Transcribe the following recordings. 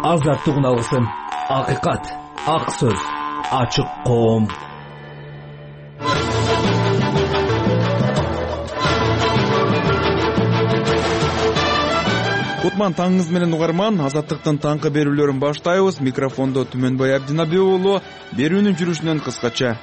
Азаттык алгысым, акыйкат, ак сөз, ачык коом. Кутман таңыңыз менен угарман, Азаттыктын таңкы берүүлөрүн баштайбыз. Микрофондо Түмөнбай Абдинабек уулу. Берүүнүн жүрүшүнөн кыскача.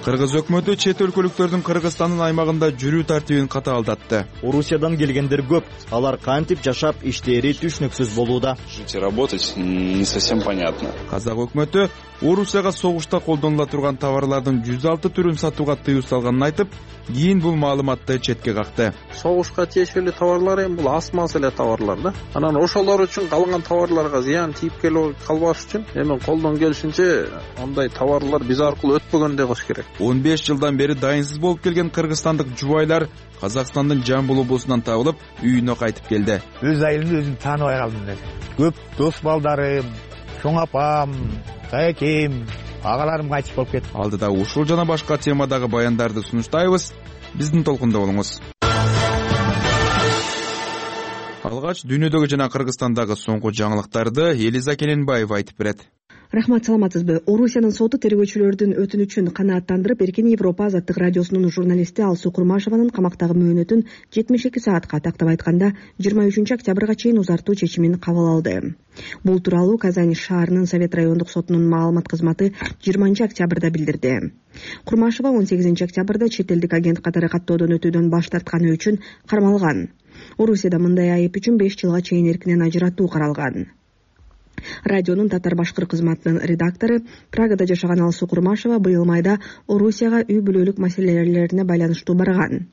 Кыргыз өкмөтү чет өлкөлүктөрдүн Кыргызстандын аймагында жүрүү тартибин катаалдатты. Орусиядан келгендер көп. Алар кантип жашап, иштери түшүнүксүз болууда. Жить и работать не совсем понятно. Казак өкмөтү Орусияга согушта колдонула турган товарлардын 106 түрүн сатууга тыюу салганын айтып, кийин бул маалыматты четке какты. Согушка тиешелүү товарлар эми бул аз маз эле товарлар да. Анан ошолор үчүн калган товарларга зыян тийип калбаш үчүн эми колдон келишинче андай товарлар биз аркылуу өтпөгөндөй кылыш керек. 15 жылдан бери дайынсыз болуп келген кыргызстандык жубайлар Казакстандын Жамбыл облусунан табылып, үйүнө кайтып келди. Өз айылымды өзүм тааныбай калдым. Көп дос балдарым, чоң апам, тайкем, агаларым кайтып болуп кетти. Алдыда ушул жана башка темадагы баяндарды сунуштайбыз. Биздин толкунда болуңуз. Алгач дүйнөдөгү жана Кыргызстандагы соңку жаңылыктарды Элиза Келенбаева айтып берет. Рахмат, саламатсызбы? Орусиянын соту тергөөчүлөрдүн өтүнүчүн канааттандырып, Эркин Европа азаттык радиосунун журналисти Алсуу Курмашеванын камактагы мөөнөтүн 72 саатка, тактап айтканда 23 октябрга чейин узартуу чечимин кабыл алды. Бул тууралуу Казань шаарынын Совет райондук сотунун маалымат кызматы 20 октябрда билдирди. Курмашева 18 октябрда чет элдик агент катары каттоодон өтүүдөн баш тартканы үчүн кармалган. Орусияда мындай айып үчүн 5 жылга чейин эркинен ажыратуу каралган. Радионун татар-башкыр кызматынын редактору, Прагада жашаган Алсуу Курмашева быйыл майда Орусияга үй бүлөлүк маселелерине байланыштуу барган.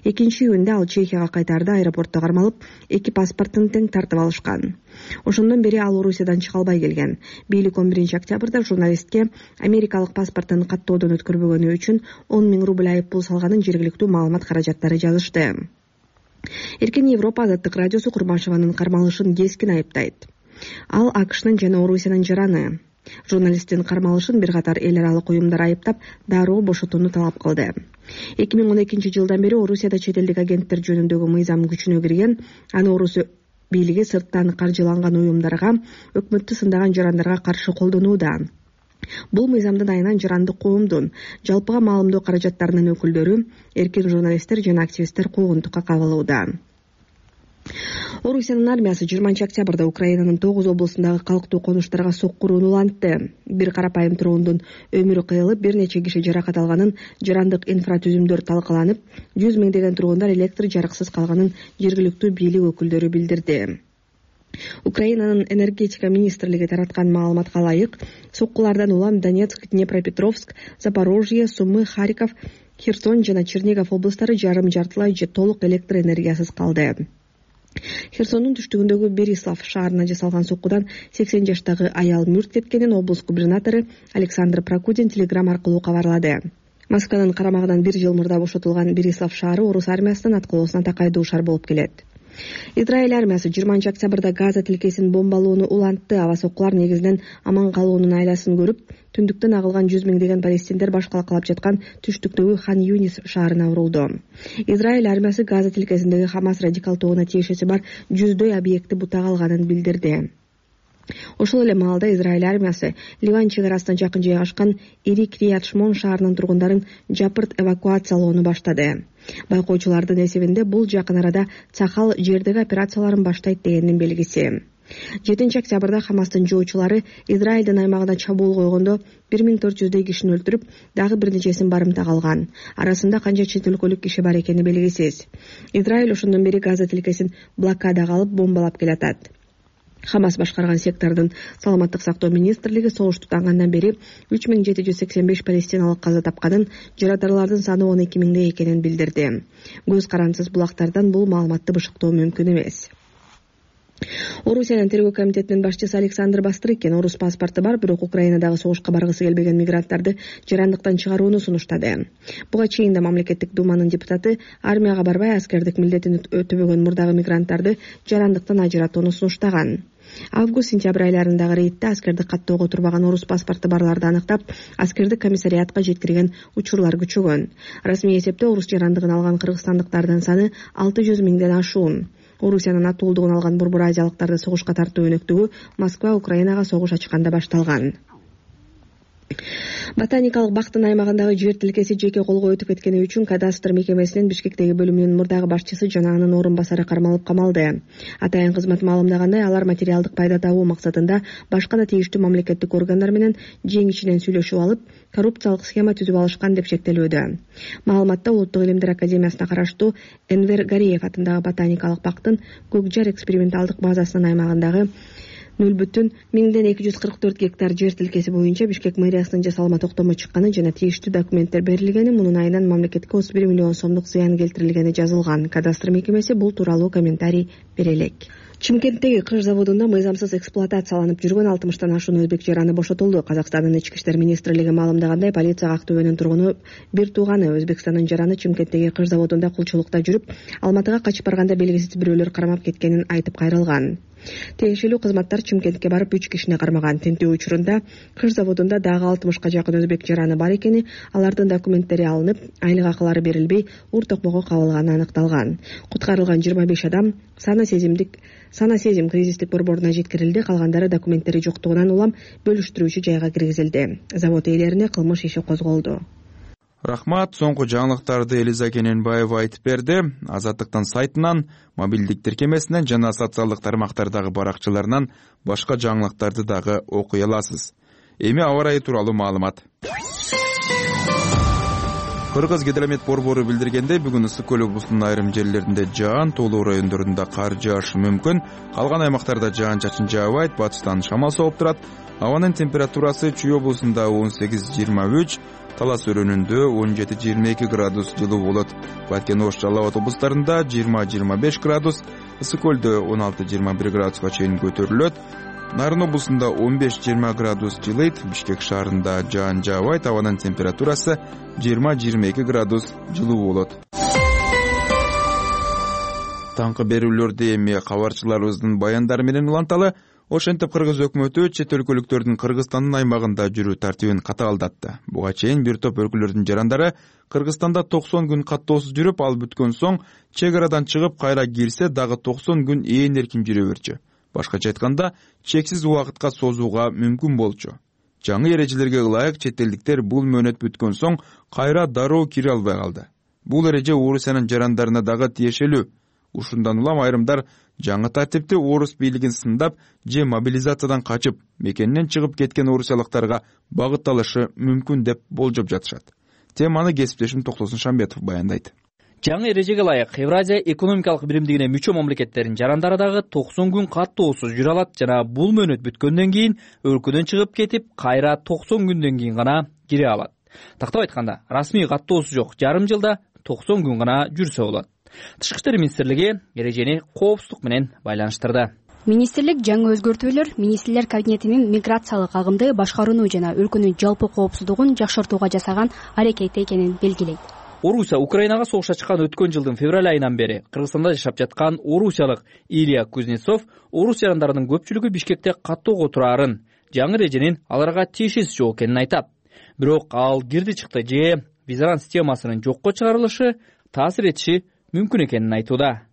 Экинчи июнда ал Чехияга кайтаарда аэропортто кармалып, 2 паспортун тең тартып алышкан. Ошондон бери ал Орусиядан чыга албай келген. Бийлик 11 октябрда журналистке америкалык паспортун каттоодон өткөрбөгөнү үчүн 10 000 рубль айып пул салганын жергиликтүү маалымат каражаттары жазышты. Эркин Европа азаттык радиосу Курмашеванын кармалышын кескин айыптайт. Ал АКШнын жана Орусиянын жараны. Журналисттин кармалышын бир катар эл аралык уюмдар айыптап, дароо бошотууну талап кылды. 2012 жылдан бери Орусияда чет элдик агенттер жөнүндөгү мыйзам күчүнө кирген. Аны Орус бийлиги сырттан каржыланган уюмдарга, өкмөттү сындаган жарандарга каршы колдонууда. Бул мыйзамдын айынан жарандык коомдун жалпыга маалымдоо каражаттарынын өкүлдөрү, эркин журналисттер жана активисттер куугунтукка кабылууда. Орусиянын армиясы 20 октябрда Украинанын 9 облусундагы калктуу конуштарга соккурууну улантты. Бир карапайым тургундун өмүрү кыйылып, бир нече киши жаракат алганын, жарандык инфратүзүмдөр талкаланып, 100 миңдеген тургундар электр жарыксыз калганын жергиликтүү бийлик өкүлдөрү билдирди. Украинанын энергетика министрлиги тараткан маалыматка ылайык, соккулардан улам Донецк, Днепропетровск, Запорожье, Сумы, Харьков, Херсон жана Чернигов облустары жарым-жартылай же толук электр энергиясыз калды. Херсондун түштүгүндөгү Берислав шаарына жасалган соккудан 80 жаштагы аял мүрт кеткенин облус губернатору Александр Прокудин телеграм аркылуу кабарлады. Москванын карамагынан 1 жыл мурда бошотулган Берислав шаары орус армиясынын аткылоосуна такай дуушар болуп келет. Израиль армиясы 20 октябрда Газа тилкесин бомбалоону улантты. Аба соккулар негизинен аман калуунун айласын көрүп, түндүктөн агылган 100 миңдеген палестиндер башкалакалап жаткан түштүктөгү Хан Юнис шаарына урулду. Израиль армиясы Газа тилкесиндеги Хамас радикал тобуна тиешеси бар 100дөй объектти бутага алганын билдирди. Ошол эле маалда Израиль армиясы Ливан чек арасына жакын жайгашкан Ири Крият Шмон шаарынын тургундарын жапырт эвакуациялоону баштады. Байкоочулардын эсебинде бул жакын арада Цахал жердеги операцияларын баштайт дегендин белгиси. 7 октябрда Хамастын жоочулары Израилдин аймагына чабуул койгондо 1400дөй кишини өлтүрүп, дагы бир нечесин барымтага алган. Арасында канча чет өлкөлүк киши бар экени белгисиз. Израиль ошондон бери Газа тилкесин блокадага алып бомбалап келатат. Хамас башкарган сектордун саламаттык сактоо министрлиги согуш тутангандан бери 3785 палестиналык каза тапканын, жаратарлардын саны 12 000 экенин билдирди. Көз карансыз булактардан бул маалыматты бышыктоо мүмкүн эмес. Орусиянын тергөө комитетинин башчысы Александр Бастрыкин орус паспорту бар, бирок Украинадагы согушка баргысы келбеген мигранттарды жарандыктан чыгарууну сунуштады. Буга чейин да мамлекеттик думанын депутаты армияга барбай аскердик милдетин өтөбөгөн мурдагы мигранттарды жарандыктан ажыратууну сунуштаган. Август-сентябрь айларындагы рейдте аскердик каттоого турбаган орус паспорту барларды аныктап, аскердик комиссариатка жеткирген учурлар күчөгөн. Расмий эсепте орус жарандыгын алган кыргызстандыктардын саны 600 миңден ашуун. Орусиянын атуулдугун алган Борбор Азиялыктарды согушка тартуу өнөктүгү Москва Украинага согуш ачканда башталган. Ботаникалык бактын аймагындагы жер тилкеси жеке колго өтүп кеткени үчүн кадастр мекемесинин Бишкектеги бөлүмүнүн мурдагы башчысы жана анын орун басары кармалып камалды. Атайын кызмат маалымдагандай, алар материалдык пайда табуу максатында башка да тийиштүү мамлекеттик органдар менен жең ичинен сүйлөшүп алып, коррупциялык схема түзүп алышкан деп шектелүүдө. Маалыматта Улуттук илимдер академиясына караштуу Энвер Гариев атындагы ботаникалык бактын Көк Жар эксперименталдык базасынын аймагындагы 0,1244 гектар жер тилкеси боюнча Бишкек мэриясынын жасалма токтому чыкканы жана тийиштүү документтер берилгени, мунун айынан мамлекетке 31 миллион сомдук зыян келтирилгени жазылган. Кадастр мекемеси бул тууралуу комментарий бере элек. Чымкенттеги кыш заводунда мыйзамсыз эксплуатацияланып жүргөн 60тан ашуун өзбек жараны бошотулду. Казакстандын ички иштер министрлиги маалымдагандай, полицияга Актөбөнүн тургуну бир тууганы Өзбекстандын жараны Чымкенттеги кыш заводунда кулчулукта жүрүп, Алматыга качып барганда белгисиз бирөөлөр кармап кеткенин айтып кайрылган. Тиешелүү кызматтар Чымкентке барып 3 кишини кармаган. Тинтүү учурунда кыш заводунда дагы 60ка жакын өзбек жараны бар экени, алардын документтери алынып, айлык акылары берилбей, ур токмокко кабылганы аныкталган. Куткарылган 25 адам сана сезим кризистик борборуна жеткирилди, калгандары документтери жоктугунан улам бөлүштүрүүчү жайга киргизилди. Завод ээлерине кылмыш иши козголду. Рахмат. Соңку жаңылыктарды Элиза Кененбаева айтып берди. Азаттыктын сайтынан, мобилдик тиркемесинен жана социалдык тармактардагы баракчаларынан башка жаңылыктарды дагы окуй аласыз. Эми аба ырайы тууралуу маалымат. Кыргыз гидромет борбору билдиргендей, бүгүн Ысык көл облусунун айрым жерлеринде жаан, тоолуу райондорунда кар жаашы мүмкүн. Калган аймактарда жаан-чачын жаабайт, батыштан шамал соғуп турат. Абанын температурасы Чүй облусунда 18-23, Талас өрөөнүндө 17-22 градус жылуу болот. Баткен, Ош, Жалал Абад облустарында 20-25 градус, Ысык көлдө 16-21 градуска чейин көтөрүлөт. Нарын облусунда 15-20 градус жылыйт. Бишкек шаарында жаан жаабайт, абанын температурасы 20-22 градус жылуу болот. Таңкы берүүлөрдү эми кабарчыларыбыздын баяндары менен уланталы. Ошентип Кыргыз өкмөтү чет өлкөлүктөрдүн Кыргызстандын аймагында жүрүү тартибин катаалдатты. Буга чейин бир топ өлкөлөрдүн жарандары Кыргызстанда 90 күн каттоосуз жүрүп, ал бүткөн соң чек арадан чыгып кайра кирсе дагы 90 күн ээн эркин жүрө берчү. Башкача айтканда, чексиз убакытка созууга мүмкүн болчу. Жаңы эрежелерге ылайык чет элдиктер бул мөөнөт бүткөн соң кайра дароо кире албай калды. Бул эреже Орусиянын жарандарына дагы тиешелүү. Ушундан улам айрымдар жаңы тартипти орус бийлигин сындап же мобилизациядан качып, мекенинен чыгып кеткен орусиялыктарга багытталышы мүмкүн деп болжоп жатышат. Теманы кесиптешим Токтосун Шамбетов баяндайт. Жаңы эрежеге ылайык Евразия экономикалык биримдигине мүчө мамлекеттердин жарандары дагы 90 күн каттоосуз жүрө алат жана бул мөөнөт бүткөндөн кийин өлкөдөн чыгып кетип, кайра 90 күндөн кийин гана кире алат. Тактап айтканда, расмий каттоосу жок жарым жылда 90 күн гана жүрсө болот. Тышкы иштер министрлиги эрежени коопсуздук менен байланыштырды. Министрлик жаңы өзгөртүүлөр министрлер кабинетинин миграциялык агымды башкарууну жана өлкөнүн жалпы коопсуздугун жакшыртууга жасаган аракети экенин белгилейт. Орусия Украинага согушка чыккан өткөн жылдын февраль айынан бери Кыргызстанда жашап жаткан орусиялык Илья Кузнецов орус жарандарынын көпчүлүгү Бишкекте каттоого турарын, жаңы эреженин аларга тиешеси жок экенин айтат. Бирок ал кирди чыкты же визаран системасынын жокко чыгарылышы таасир этиши мүмкүн экенин айтууда.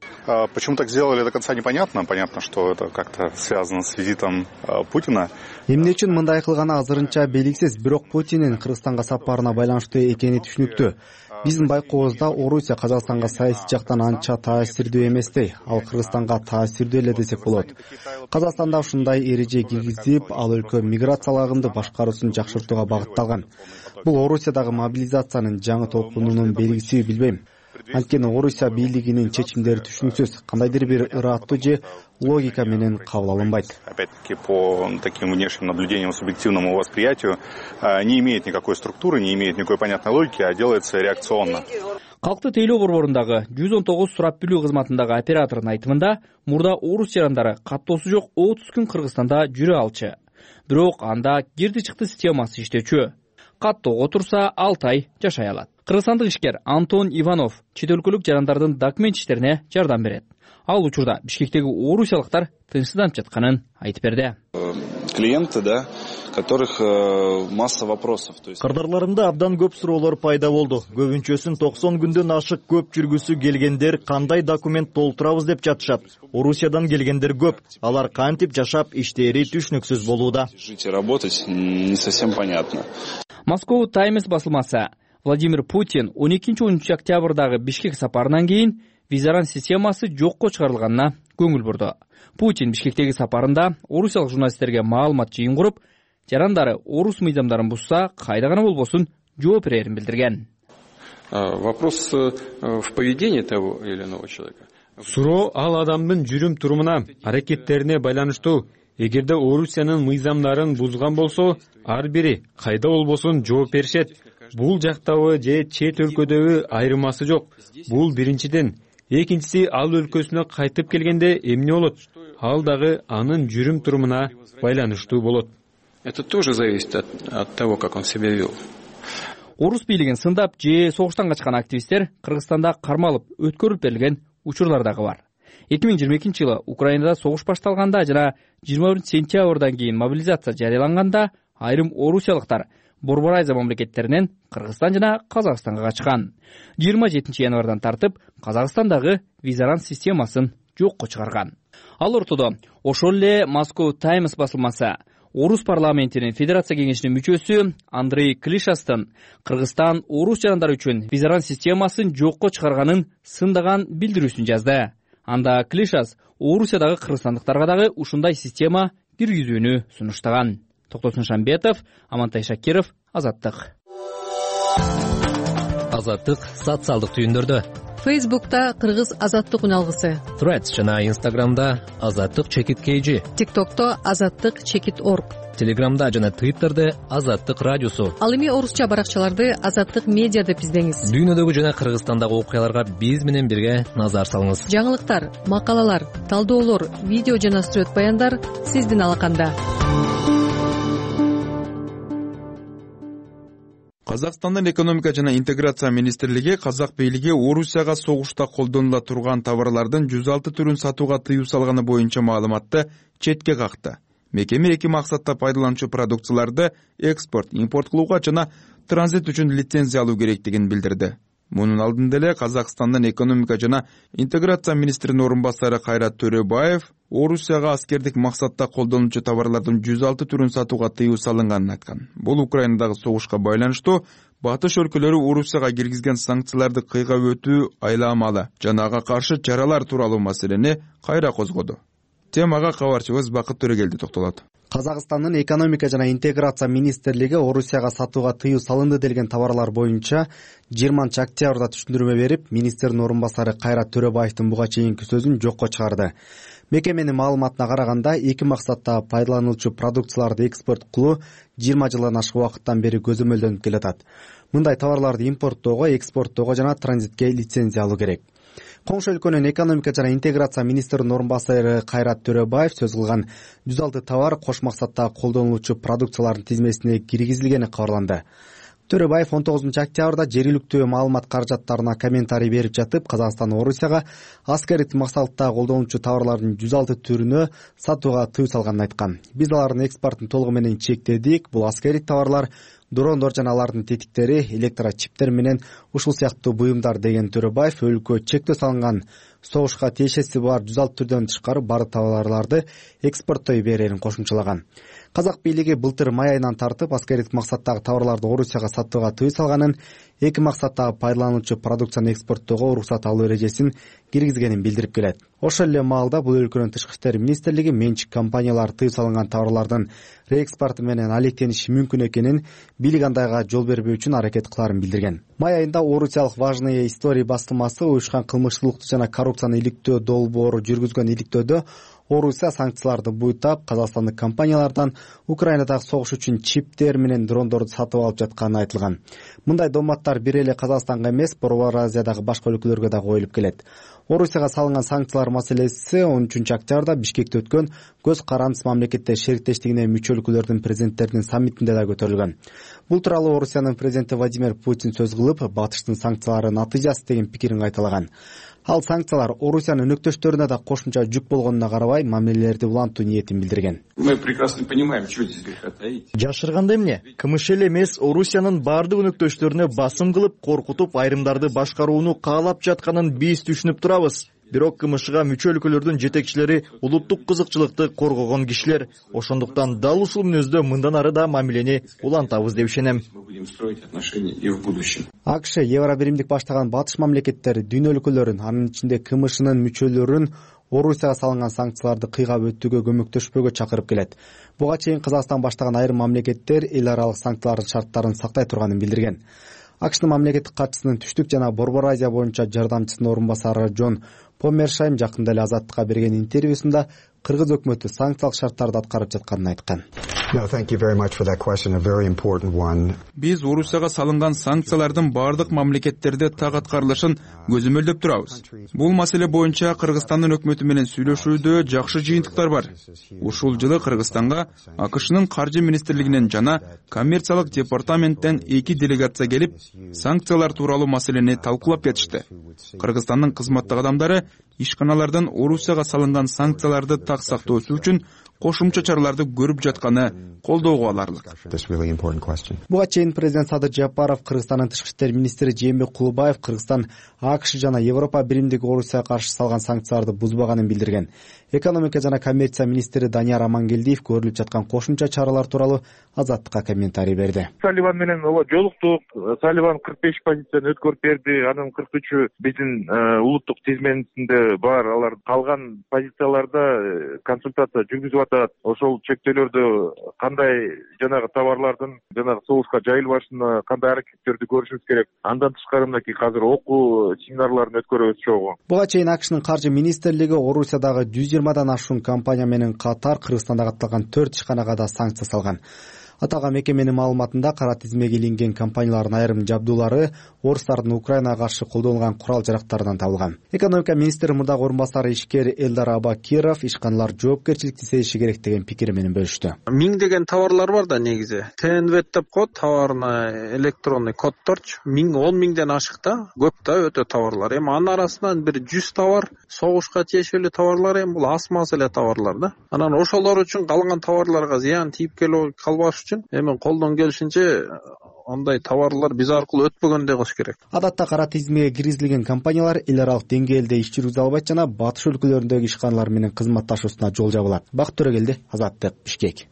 Почему так сделали, до конца непонятно. Понятно, что это как-то связано с визитом Путина. Эмне үчүн мындай кылганы азырынча белгисиз, бирок Путиндин Кыргызстанга сапарына байланыштуу экени түшүнүктүү. Биздин байкообузда Орусия Казакстанга саясий жактан анча таасирдүү эместей, ал Кыргызстанга таасирдүү эле десек болот. Казакстанда ушундай эреже киргизип, ал өлкө миграциялык агымды башкаруусун жакшыртууга багытталган. Бул Орусиядагы мобилизациянын жаңы толкунунун белгиси билбейм. Анткени Орусия бийлигинин чечимдери түшүнүксүз, кандайдыр бир ыраттуу же логика менен кабыл алынбайт. Опять-таки, по таким внешним наблюдениям, субъективному восприятию, не имеет никакой структуры, не имеет никакой понятной логики, а делается реакционно. Калкты тейлөө борборундагы 119 сурап билүү кызматындагы оператордун айтымында, мурда орус жарандары каттоосу жок 30 күн Кыргызстанда жүрө алчу. Бирок анда кирди-чыкты системасы иштечү. Каттоого турса 6 ай жашай алат. Кыргызстандык ишкер Антон Иванов чет өлкөлүк жарандардын документ иштерине жардам берет. Ал учурда Бишкектеги орусиялыктар тынчсызданып жатканын айтып берди. Клиенты, да, которых масса вопросов. Кырдаарларымда абдан көп суроолор пайда болду. Көбүнчөсүн 90 күндөн ашык көп жүргүсү келгендер кандай документ толтурабыз деп жатышат. Орусиядан келгендер көп. Алар кантип жашап, иштери түшүнүксүз болууда. Жить и работать не совсем понятно. Moscow Times басылмасы Владимир Путин 12-13 октябрдагы Бишкек сапарынан кийин визаран системасы жокко чыгарылганына көңүл бурду. Путин Бишкектеги сапарында орусиялык журналисттерге маалымат жыйын куруп, жарандары орус мыйзамдарын бузса, кайда гана болбосун жооп берерин билдирген. Вопрос в поведении того или иного человека. Суроо ал адамдын жүрүм турумуна, аракеттерине байланыштуу. Эгерде Орусиянын мыйзамдарын бузган болсо, ар бири кайда болбосун жооп беришет. Бул жактабы же чет өлкөдөбү айырмасы жок. Бул биринчиден. Экинчиси, ал өлкөсүнө кайтып келгенде эмне болот? Ал дагы анын жүрүм турумуна байланыштуу болот. Это тоже зависит от того, как он себя вел. Орус бийлигин сындап же согуштан качкан активисттер Кыргызстанда кармалып, өткөрүлүп берилген учурлар дагы бар. 2022-жылы Украинада согуш башталганда жана 21-сентябрдан кийин мобилизация жарыяланганда айрым орусиялыктар Борбор Азия мамлекеттеринен Кыргызстан жана Казакстанга качкан. 27-январдан тартып Казакстандагы визаран системасын жокко чыгарган. Ал ортодо ошол эле Moscow Times басылмасы Орус парламентинин Федерация кеңешинин мүчөсү Андрей Клишастын Кыргызстан орус жарандары үчүн визаран системасын жокко чыгарганын сындаган билдирүүсүн жазды. Анда Клишас Орусиядагы кыргызстандыктарга дагы ушундай система киргизүүнү сунуштаган. Токтосун Шамбетов, Амантай Шакиров, Азаттык. Азаттык социалдык түйүндөрдө. Фейсбукта Кыргыз Азаттык үналгысы. Threads жана Instagramда Азаттык_KG. TikTokто Азаттык_org. Телеграмда жана Twitterде Азаттык радиосу. Ал эми орусча баракчаларды Азаттык медиа деп издеңиз. Дүйнөдөгү жана Кыргызстандагы окуяларга биз менен бирге назар салыңыз. Жаңылыктар, макалалар, талдоолор, видео жана сүрөт баяндар сиздин алаканда. Казакстандын экономика жана интеграция министрлиги казак бийлиги Орусияга согушта колдонула турган товарлардын 106 түрүн сатууга тыюу салганы боюнча маалыматты четке какты. Мекеме эки максатта пайдаланчу продукцияларды экспорт, импорт кылууга жана транзит үчүн лицензия алуу керектигин билдирди. Мунун алдында эле Казакстандын экономика жана интеграция министринин орун басары Кайрат Төрөбаев Орусияга аскердик максатта колдонулчу товарлардын 106 түрүн сатууга тыюу салынганын айткан. Бул Украинадагы согушка байланыштуу батыш өлкөлөрү Орусияга киргизген санкцияларды кыйгап өтүү айламалы жана ага каршы чаралар тууралуу маселени кайра козгоду. Темага кабарчыбыз Бакыт Төрөгелди токтолот. Казакстандын экономика жана интеграция министрлиги Орусияга сатууга тыюу салынды делген товарлар боюнча 20-октябрда түшүндүрмө берип, министрдин орун басары Кайрат Төрөбаевдин буга чейинки сөзүн жокко чыгарды. Мекеменин маалыматына караганда, эки максатта пайдаланылчу продукцияларды экспорт кылуу 20 жылдан ашык убакыттан бери көзөмөлдөнүп келатат. Мындай товарларды импорттоого, экспорттоого жана транзитке лицензия алуу керек. Коңшу өлкөнүн экономика жана интеграция министринин орун басары Кайрат Төрөбаев сөз кылган 106 товар кош максатта колдонулчу продукциялардын тизмесине киргизилгени кабарланды. Төрөбаев 19-октябрда жергиликтүү маалымат каражаттарына комментарий берип жатып, Казакстан Орусияга аскердик максатта колдонулчу товарлардын 106 түрүнө сатууга тыюу салганын айткан. Биз алардын экспортун толугу менен чектедик. Бул аскердик товарлар дрондор жана алардын тетиктери, электрочиптер менен ушул сыяктуу буюмдар деген Төрөбаев өлкө чектөө салынган согушка тиешеси бар 106 түрдөн тышкары бардык товарларды экспорттой берерин кошумчалаган. Казак бийлиги былтыр май айынан тартып аскердик максаттагы товарларды Орусияга сатууга тыюу салганын, эки максаттагы пайдаланылчу продукцияны экспорттоого уруксат алуу эрежесин киргизгенин билдирип келет. Ошол эле маалда бул өлкөнүн тышкы иштер министрлиги менчик компаниялар тыюу салынган товарлардын реэкспорту менен алектениши мүмкүн экенин, бийлик андайга жол бербөө үчүн аракет кыларын билдирген. Май айында орусиялык Важные истории басылмасы уюшкан кылмыштуулукту жана коррупцияны иликтөө долбоору жүргүзгөн иликтөөдө Орусия санкцияларды буйтап, казакстандык компаниялардан Украинадагы согуш үчүн чиптер менен дрондорду сатып алып жатканы айтылган. Мындай доматтар бир эле Казакстанга эмес, Борбор Азиядагы башка өлкөлөргө да коюлуп келет. Орусияга салынган санкциялар маселеси 13-октябрда Бишкекте өткөн көз карандыс мамлекеттер шериктештигине мүчө өлкөлөрдүн президенттеринин саммитинде да көтөрүлгөн. Бул тууралуу Орусиянын президенти Владимир Путин сөз кылып, батыштын санкциялары натыйжасы деген пикирин кайталаган. Ал санкциялар Орусиянын өнөктөштөрүнө да кошумча жүк болгонуна карабай, мамилелерди улантуу ниетин билдирген. Мы прекрасно понимаем, что здесь греха таить. Жашырганда эмне? КМШ эле эмес, Орусиянын баардык өнөктөштөрүнө басым кылып, коркутуп, айрымдарды башкарууну каалап жатканын биз түшүнүп турабыз. Бирок КМШга мүчө өлкөлөрдүн жетекчилери улуттук кызыкчылыкты коргогон кишилер. Ошондуктан дал ушул мүнөздө мындан ары да мамилени улантабыз деп ишенем. АКШ Евробиримдик баштаган батыш мамлекеттер дүйнө өлкөлөрүн, анын ичинде КМШнын мүчөлөрүн Орусияга салынган санкцияларды кыйгап өтүүгө көмөктөшпөгө чакырып келет. Буга чейин Казакстан баштаган айрым мамлекеттер эл аралык санкциялардын шарттарын сактай турганын билдирген. АКШнын мамлекеттик катчысынын түштүк жана Борбор Азия боюнча жардамчысынын орун басары Джон Помершайм жакында эле Азаттыкка берген интервьюсунда кыргыз өкмөтү санкциялык шарттарды аткарып жатканын айткан. Биз Орусияга салынган санкциялардын баардык мамлекеттерде так аткарылышын көзөмөлдөп турабыз. Бул маселе боюнча Кыргызстандын өкмөтү менен сүйлөшүүдө жакшы жыйынтыктар бар. Ушул жылы Кыргызстанга АКШнын каржы министрлигинен жана коммерциялык департаменттен 2 делегация келип, санкциялар тууралуу маселени талкуулап кетишти. Кыргызстандын кызматтык адамдары ишканалардан Орусияга салынган санкцияларды так сактоосу үчүн кошумча чараларды көрүп жатканы колдоого аларлык. Буга чейин президент Садыр Жапаров, Кыргызстандын тышкы иштер министри Жээнбек Кулубаев Кыргызстан АКШ жана Европа биримдиги Орусияга каршы салган санкцияларды бузбаганын билдирген. Экономика жана коммерция министри Данияр Амангелдиев көрүлүп жаткан кошумча чаралар тууралуу Азаттыкка комментарий берди. Салливан менен жолуктук. Салливан 45 позицияны өткөрүп берди. Анын 43-ü биздин улуттук тизмесинде бар. Алар калган позицияларда консультация жүргүзүп атат. Ошол чектөөлөрдө кандай жанагы товарлардын жанагы соғушка жайылбашына кандай аракеттерди көрүшүбүз керек. Андан тышкары мынакей азыр окуу семинарларын өткөрөбүз чогуу. Буга чейин АКШнын каржы министрлиги Орусиядагы 120дан ашуун компания менен катар Кыргызстанда катталган 4 ишканага да санкция салган. Аталган мекеменин маалыматында кара тизмеге илинген компаниялардын айрым жабдуулары орустардын Украинага каршы колдонулган курал-жарактарынан табылган. Экономика министри мурдагы орун басары ишкер Элдар Абакиров ишканалар жоопкерчиликти сезиши керек деген пикири менен бөлүштү. Миңдеген товарлар бар да негизи. ТНВ деп коет, товарный электронный коддорчу. 10 миңден ашык да, көп да өтө товарлар. Эми анын арасынан бир 100 товар согушка тиешелүү товарлар, эми бул аз маз эле товарлар да. Анан ошолор үчүн калган товарларга зыян тийип калбаш үчүн эми колдон келишинче андай товарлар биз аркылуу өтпөгөндөй кылыш керек. Адатта кара тизмеге киргизилген компаниялар эл аралык деңгээлде иш жүргүзө албайт жана батыш өлкөлөрүндөгү ишканалар менен кызматташуусуна жол жабылат. Бакыт Төрөгелди, Азаттык, Бишкек.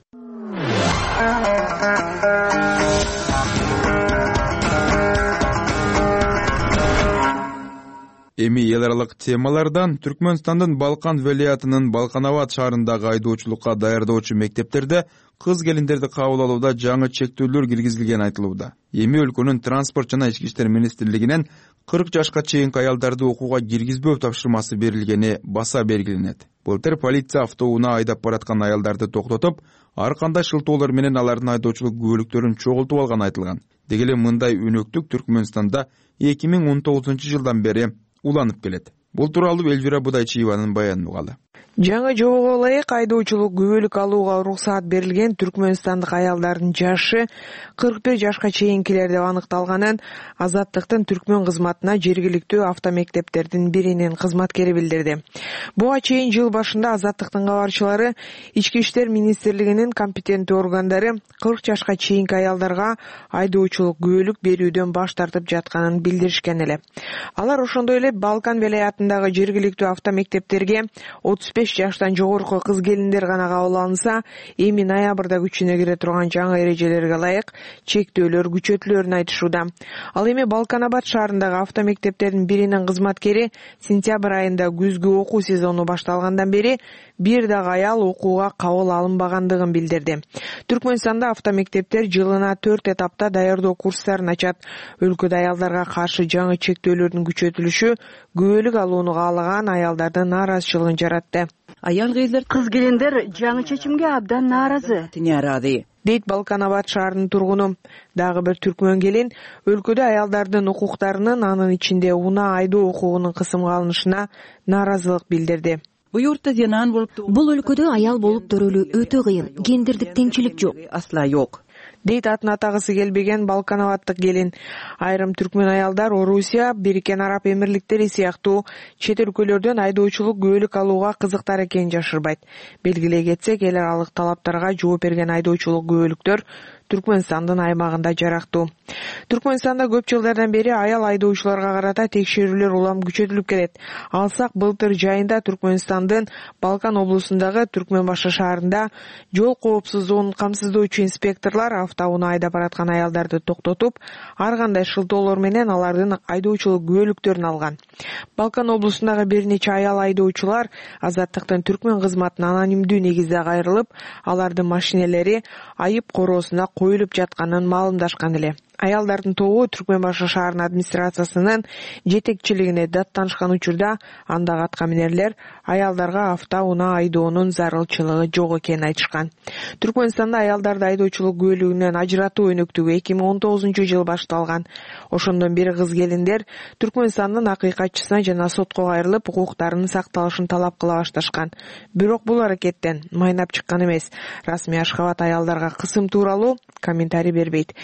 Эми эл аралык темалардан Түркмөнстандын Балкан велаятынын Балканабад шаарындагы айдоочулукка даярдоочу мектептерде кыз келиндерди кабыл алууда жаңы чектөөлөр киргизилгени айтылууда. Эми өлкөнүн транспорт жана ички иштер министрлигинен 40 жашка чейинки аялдарды окууга киргизбөө тапшырмасы берилгени баса белгиленет. Былтыр полиция автоунаа айдап бараткан аялдарды токтотуп, ар кандай шылтоолор менен алардын айдоочулук күбөлүктөрүн чогултуп алганы айтылган. Деги эле мындай өнөктүк Түркмөнстанда 2019-жылдан бери уланып келет. Бул тууралуу Элвира Будайчиеванын баянын угалы. Жаңы жобого ылайык айдоочулук күбөлүк алууга уруксаат берилген түркмөнстандык аялдардын жашы 41 жашка чейинкилер деп аныкталганын Азаттыктын түркмөн кызматына жергиликтүү автомектептердин биринин кызматкери билдирди. Буга чейин жыл башында Азаттыктын кабарчылары Ички иштер министрлигинин компетенттүү органдары 40 жашка чейинки аялдарга айдоочулук күбөлүк берүүдөн баш тартып жатканын билдиришкен эле. Алар ошондой эле Балкан велаятындагы жергиликтүү автомектептерге 35 жаштан жогорку кыз келиндер гана кабыл алынса, эми ноябрда күчүнө кире турган жаңы эрежелерге ылайык чектөөлөр күчөтүлөрүн айтышууда. Ал эми Балканабад шаарындагы автомектептердин биринин кызматкери сентябрь айында күзгү окуу сезону башталгандан бери бир дагы аял окууга кабыл алынбагандыгын билдирди. Түркмөнстанда автомектептер жылына 4 этапта даярдоо курстарын ачат. Өлкөдө аялдарга каршы жаңы чектөөлөрдүн күчөтүлүшү күбөлүк алууну каалаган аялдардын нааразычылыгын жаратты. Кыз келиндер жаңы чечимге абдан нааразы дейт Балканабад шаарынын тургуну. Дагы бир түркмөн келин өлкөдө аялдардын укуктарынын, анын ичинде унаа айдоо укугунун кысымга алынышына нааразылык билдирди. Бул өлкөдө аял болуп төрөлүү өтө кыйын, гендердик теңчилик жок. дейт атын атагысы келбеген Балкановаттык келин. Айрым түркмөн аялдар Орусия, Бириккен Араб Эмирликтери сыяктуу чет өлкөлөрдөн айдоочулук күбөлүк алууга кызыктар экенин жашырбайт. Белгилей кетсек, эл аралык талаптарга жооп берген айдоочулук күбөлүктөр Түркмөнстандын аймагында жарактуу. Түркмөнстанда көп жылдардан бери аял айдоочуларга карата текшерүүлөр улам күчөтүлүп келет. Алсак, былтыр жайында Түркмөнстандын Балкан облусундагы Түркмөнбашы шаарында жол коопсуздугун камсыздоочу инспекторлор автоунаа айдап бараткан аялдарды токтотуп, ар кандай шылтоолор менен алардын айдоочулук күбөлүктөрүн алган. Балкан облусундагы бир нече аял айдоочулар Азаттыктын түркмөн кызматына анонимдүү негизде кайрылып, алардын машинелери айып короосуна коюлуп жатканын маалымдашкан эле. Аялдардын тобу Түркмөнбашы шаарынын администрациясынын жетекчилигине даттанышкан учурда андагы аткаминерлер аялдарга автоунаа айдоонун зарылчылыгы жок экенин айтышкан. Түркмөнстанда аялдарды айдоочулук күбөлүгүнөн ажыратуу өнөктүгү 2019-жылы башталган. Ошондон бери кыз келиндер Түркмөнстандын акыйкатчысына жана сотко кайрылып, укуктарынын сакталышын талап кыла башташкан. Бирок бул аракеттен майнап чыккан эмес. Расмий Ашхабад аялдарга кысым тууралуу комментарий бербейт.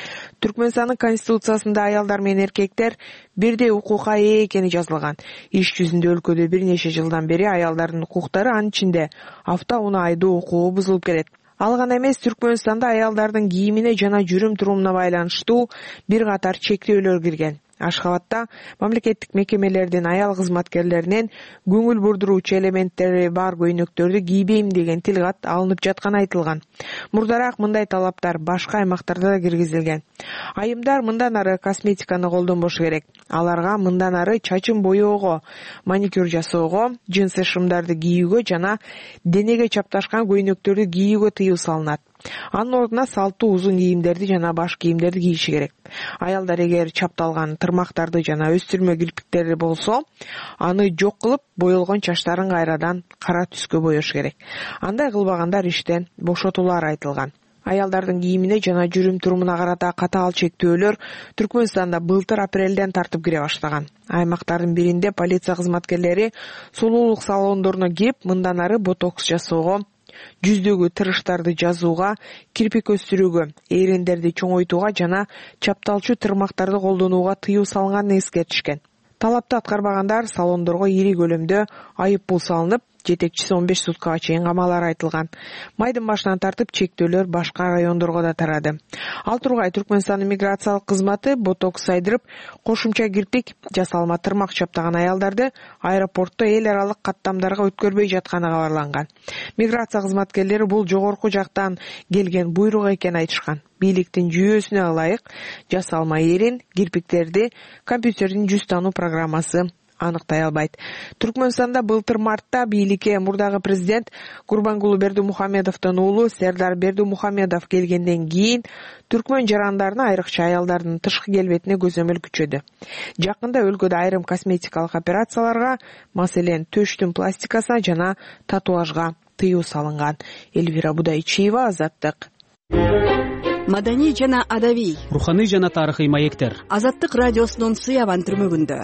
Түркмөнстандын конституциясында аялдар менен эркектер бирдей укукка ээ экени жазылган. Иш жүзүндө өлкөдө бир нече жылдан бери аялдардын укуктары, анын ичинде автоунаа айдоо укугу бузулуп келет. Ал гана эмес, Түркмөнстанда аялдардын кийимине жана жүрүм-турумуна байланыштуу бир катар чектөөлөр кирген. Ашхабадда мамлекеттик мекемелердин аял кызматкерлеринен көңүл бурдуруучу элементтери бар көйнөктөрдү кийбейм деген тилкат алынып жатканы айтылган. Мурдараак мындай талаптар башка аймактарда да киргизилген. Айымдар мындан ары косметиканы колдонбошу керек. Аларга мындан ары чачын боёого, маникюр жасоого, джинсы шымдарды кийүүгө жана денеге чапташкан көйнөктөрдү кийүүгө тыюу салынат. Анын ордуна салттуу узун кийимдерди жана баш кийимдерди кийиши керек. Аялдар эгер чапталган тырмактарды жана өстүрмө кирпиктери болсо, аны жок кылып, боелгон чачтарын кайрадан кара түскө боёш керек. Андай кылбагандар иштен бошотулары айтылган. Аялдардын кийимине жана жүрүм-турумуна карата катаал чектөөлөр Түркмөнстанда былтыр апрелден тартып кире баштаган. Аймактардын биринде полиция кызматкерлери сулуулук салондоруна кирип, мындан ары ботокс жасоого, жүздөгү тырыштарды жазууга, кирпик өстүрүүгө, эриндерди чоңойтууга жана чапталчу тырмактарды колдонууга тыюу салынганын эскертишкен. Талапты аткарбагандар салондорго ири көлөмдө айып пул салынып, жетекчиси 15 суткага чейин камалары айтылган. Майдын башынан тартып чектөөлөр башка райондорго да тарады. Ал тургай Түркмөнстандын миграциялык кызматы ботокс сайдырып, кошумча кирпик, жасалма тырмак чаптаган аялдарды аэропортто эл аралык каттамдарга өткөрбөй жатканы кабарланган. Миграция кызматкерлери бул жогорку жактан келген буйрук экенин айтышкан. Бийликтин жүйөсүнө ылайык жасалма эрин, кирпиктерди компьютердин жүз таануу программасы аныктай албайт. Түркмөнстанда былтыр мартта бийликке мурдагы президент Курбангулу Бердимухамедовдун уулу Сердар Бердимухамедов келгенден кийин түркмөн жарандарына, айрыкча аялдардын тышкы келбетине көзөмөл күчөдү. Жакында өлкөдө айрым косметикалык операцияларга, маселен, төштүн пластикасына жана татуажга тыюу салынган. Элвира Будайчиева, Азаттык. Маданий жана адабий, руханий жана тарыхый маектер. Азаттык радиосунун Сыябан түрмөгүндө.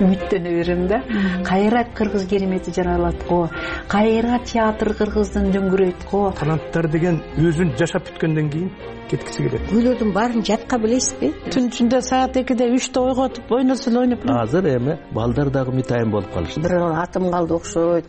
Үмүттөнө берем да. Кайра кыргыз керемети жаралат го. Кайра театр кыргыздын дөңгөрөйт го. Таланттар деген өзүн жашап бүткөндөн кийин кеткиси келет. Күйлөрдүн баарын жатка билесизби? Түн ичинде саат 2-де 3-те ойготуп, ойносун ойноп. Азыр эми балдар дагы митайым болуп калышты. Бир атым калды окшойт.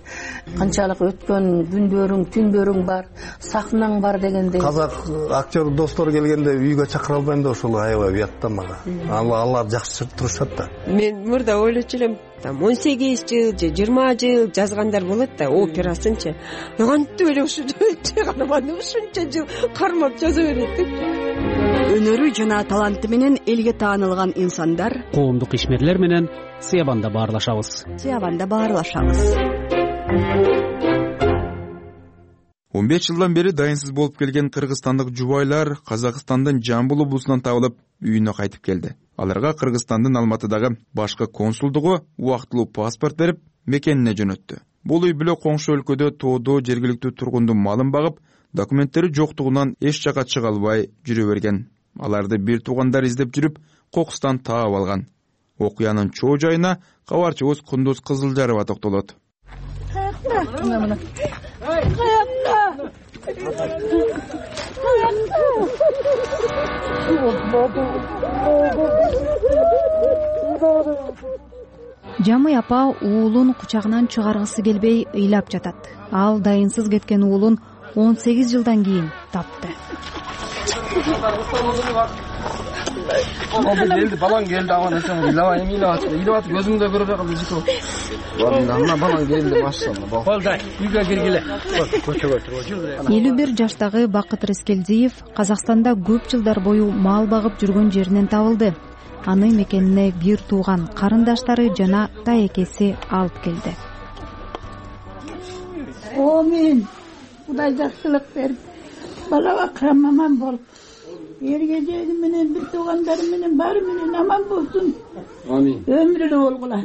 Канчалык өткөн күндөрүң, түндөрүң бар, сахнаң бар дегендей. Казак актер достор келгенде үйгө чакыра албайм да, ошол аябай уятта мага. Алар жакшы турушат да. Мен мурда ойлочу элем, 18 жыл же 20 жыл жазгандар болот да, операсынчы. Кантип эле ушунча жыл кармап жаза берет деп. Өнөрү жана таланты менен элге таанылган инсандар, коомдук ишмерлер менен Сыябанда баарлашабыз. 15 жылдан бери дайынсыз болуп келген кыргызстандык жубайлар Казакстандын Жамбыл облусунан табылып, үйүнө кайтып келди. Аларга Кыргызстандын Алматыдагы башкы консулдугу убактылуу паспорт берип, мекенине жөнөттү. Бул үй бүлө коңшу өлкөдө тоодо жергиликтүү тургундун малын багып, документтери жоктугунан эч жака чыга албай жүрө берген. Аларды бир туугандар издеп жүрүп, кокустан таап алган. Окуянын чоо жайына кабарчыбыз Кундуз Кызылжарова токтолот. Жамый апа уулун кучагынан чыгаргысы келбей ыйлап жатат. Ал дайынсыз кеткен уулун 18 жылдан кийин тапты. Келди, балаң келди, аман эсен ыйлабай ыйлап көзүңдө көрө калды житип. Мына балаң келди, машалла. Колдай, үйгө киргиле. 51 жаштагы Бакыт Рыскелдиев Казакстанда көп жылдар бою мал багып жүргөн жеринен табылды. Аны мекенине бир тууган карындаштары жана таекеси алып келди. Амин. Кудай жакшылык берип, балага карамаман болуп, эргежеги менен бир туугандары менен баары менен аман болсун. Амин. Өмүрү болгула.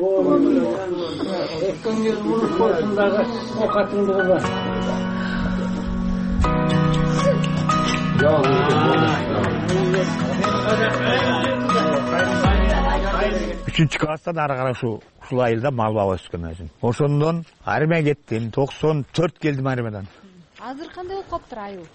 Экөңөр уруп болсун дагы, окатыңды кылба. 3 класстан ары карай ушул айылда мал багып өскөн өзүм. Ошондон армияга кеттим, 94 келдим армиядан. Азыр кандай болуп калыптыр айыл?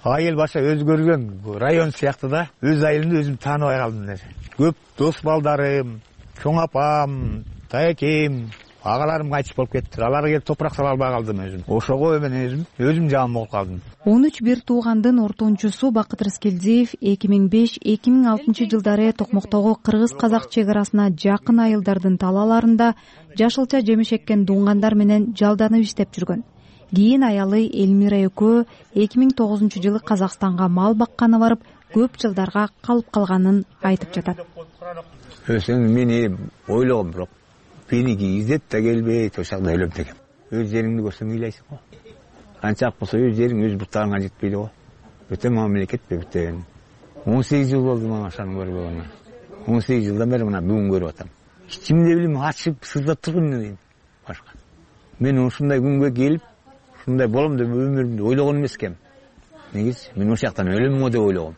Айыл баша өзгөргөн, район сыяктуу да. Өз айылымды өзүм тааныбай калдым. Көп дос балдарым, чоң апам, таекем, агаларым кайтыш болуп кетти. Аларга келип топурак сала албай калдым өзүм. Ошого мен өзүм жаман болуп калдым. 13 бир туугандын ортончусу Бакыт Рыскелдиев 2005-2006 жылдары Токмоктогу кыргыз-казак чек арасына жакын айылдардын талааларында жашылча жемиш эккен дуңгандар менен жалданып иштеп жүргөн. Кийин аялы Элмира экөө 2009 жылы Казакстанга мал бакканы барып, көп жылдарга калып калганын айтып жатат. Мени ойлогом, бирок меники издеп да келбейт, ошондо өлөм дегем. Өз жериңди көрсөң ыйлайсың го. Канчак болсо өз жериң өз буттарыңа жетпейди го. Өтө мамлекет бептен. 18 жыл болду мага ошону көрбөгөнү. 18 жылдан бери мына бүгүн көрүп атам. Ичимде билем ачып сыздап турган дейм башка. Мен ушундай күнгө келип, ушундай болом деп өмүрүмдү ойлогон эмес экем. Негизи мен ошол жактан өлөм го деп ойлогом.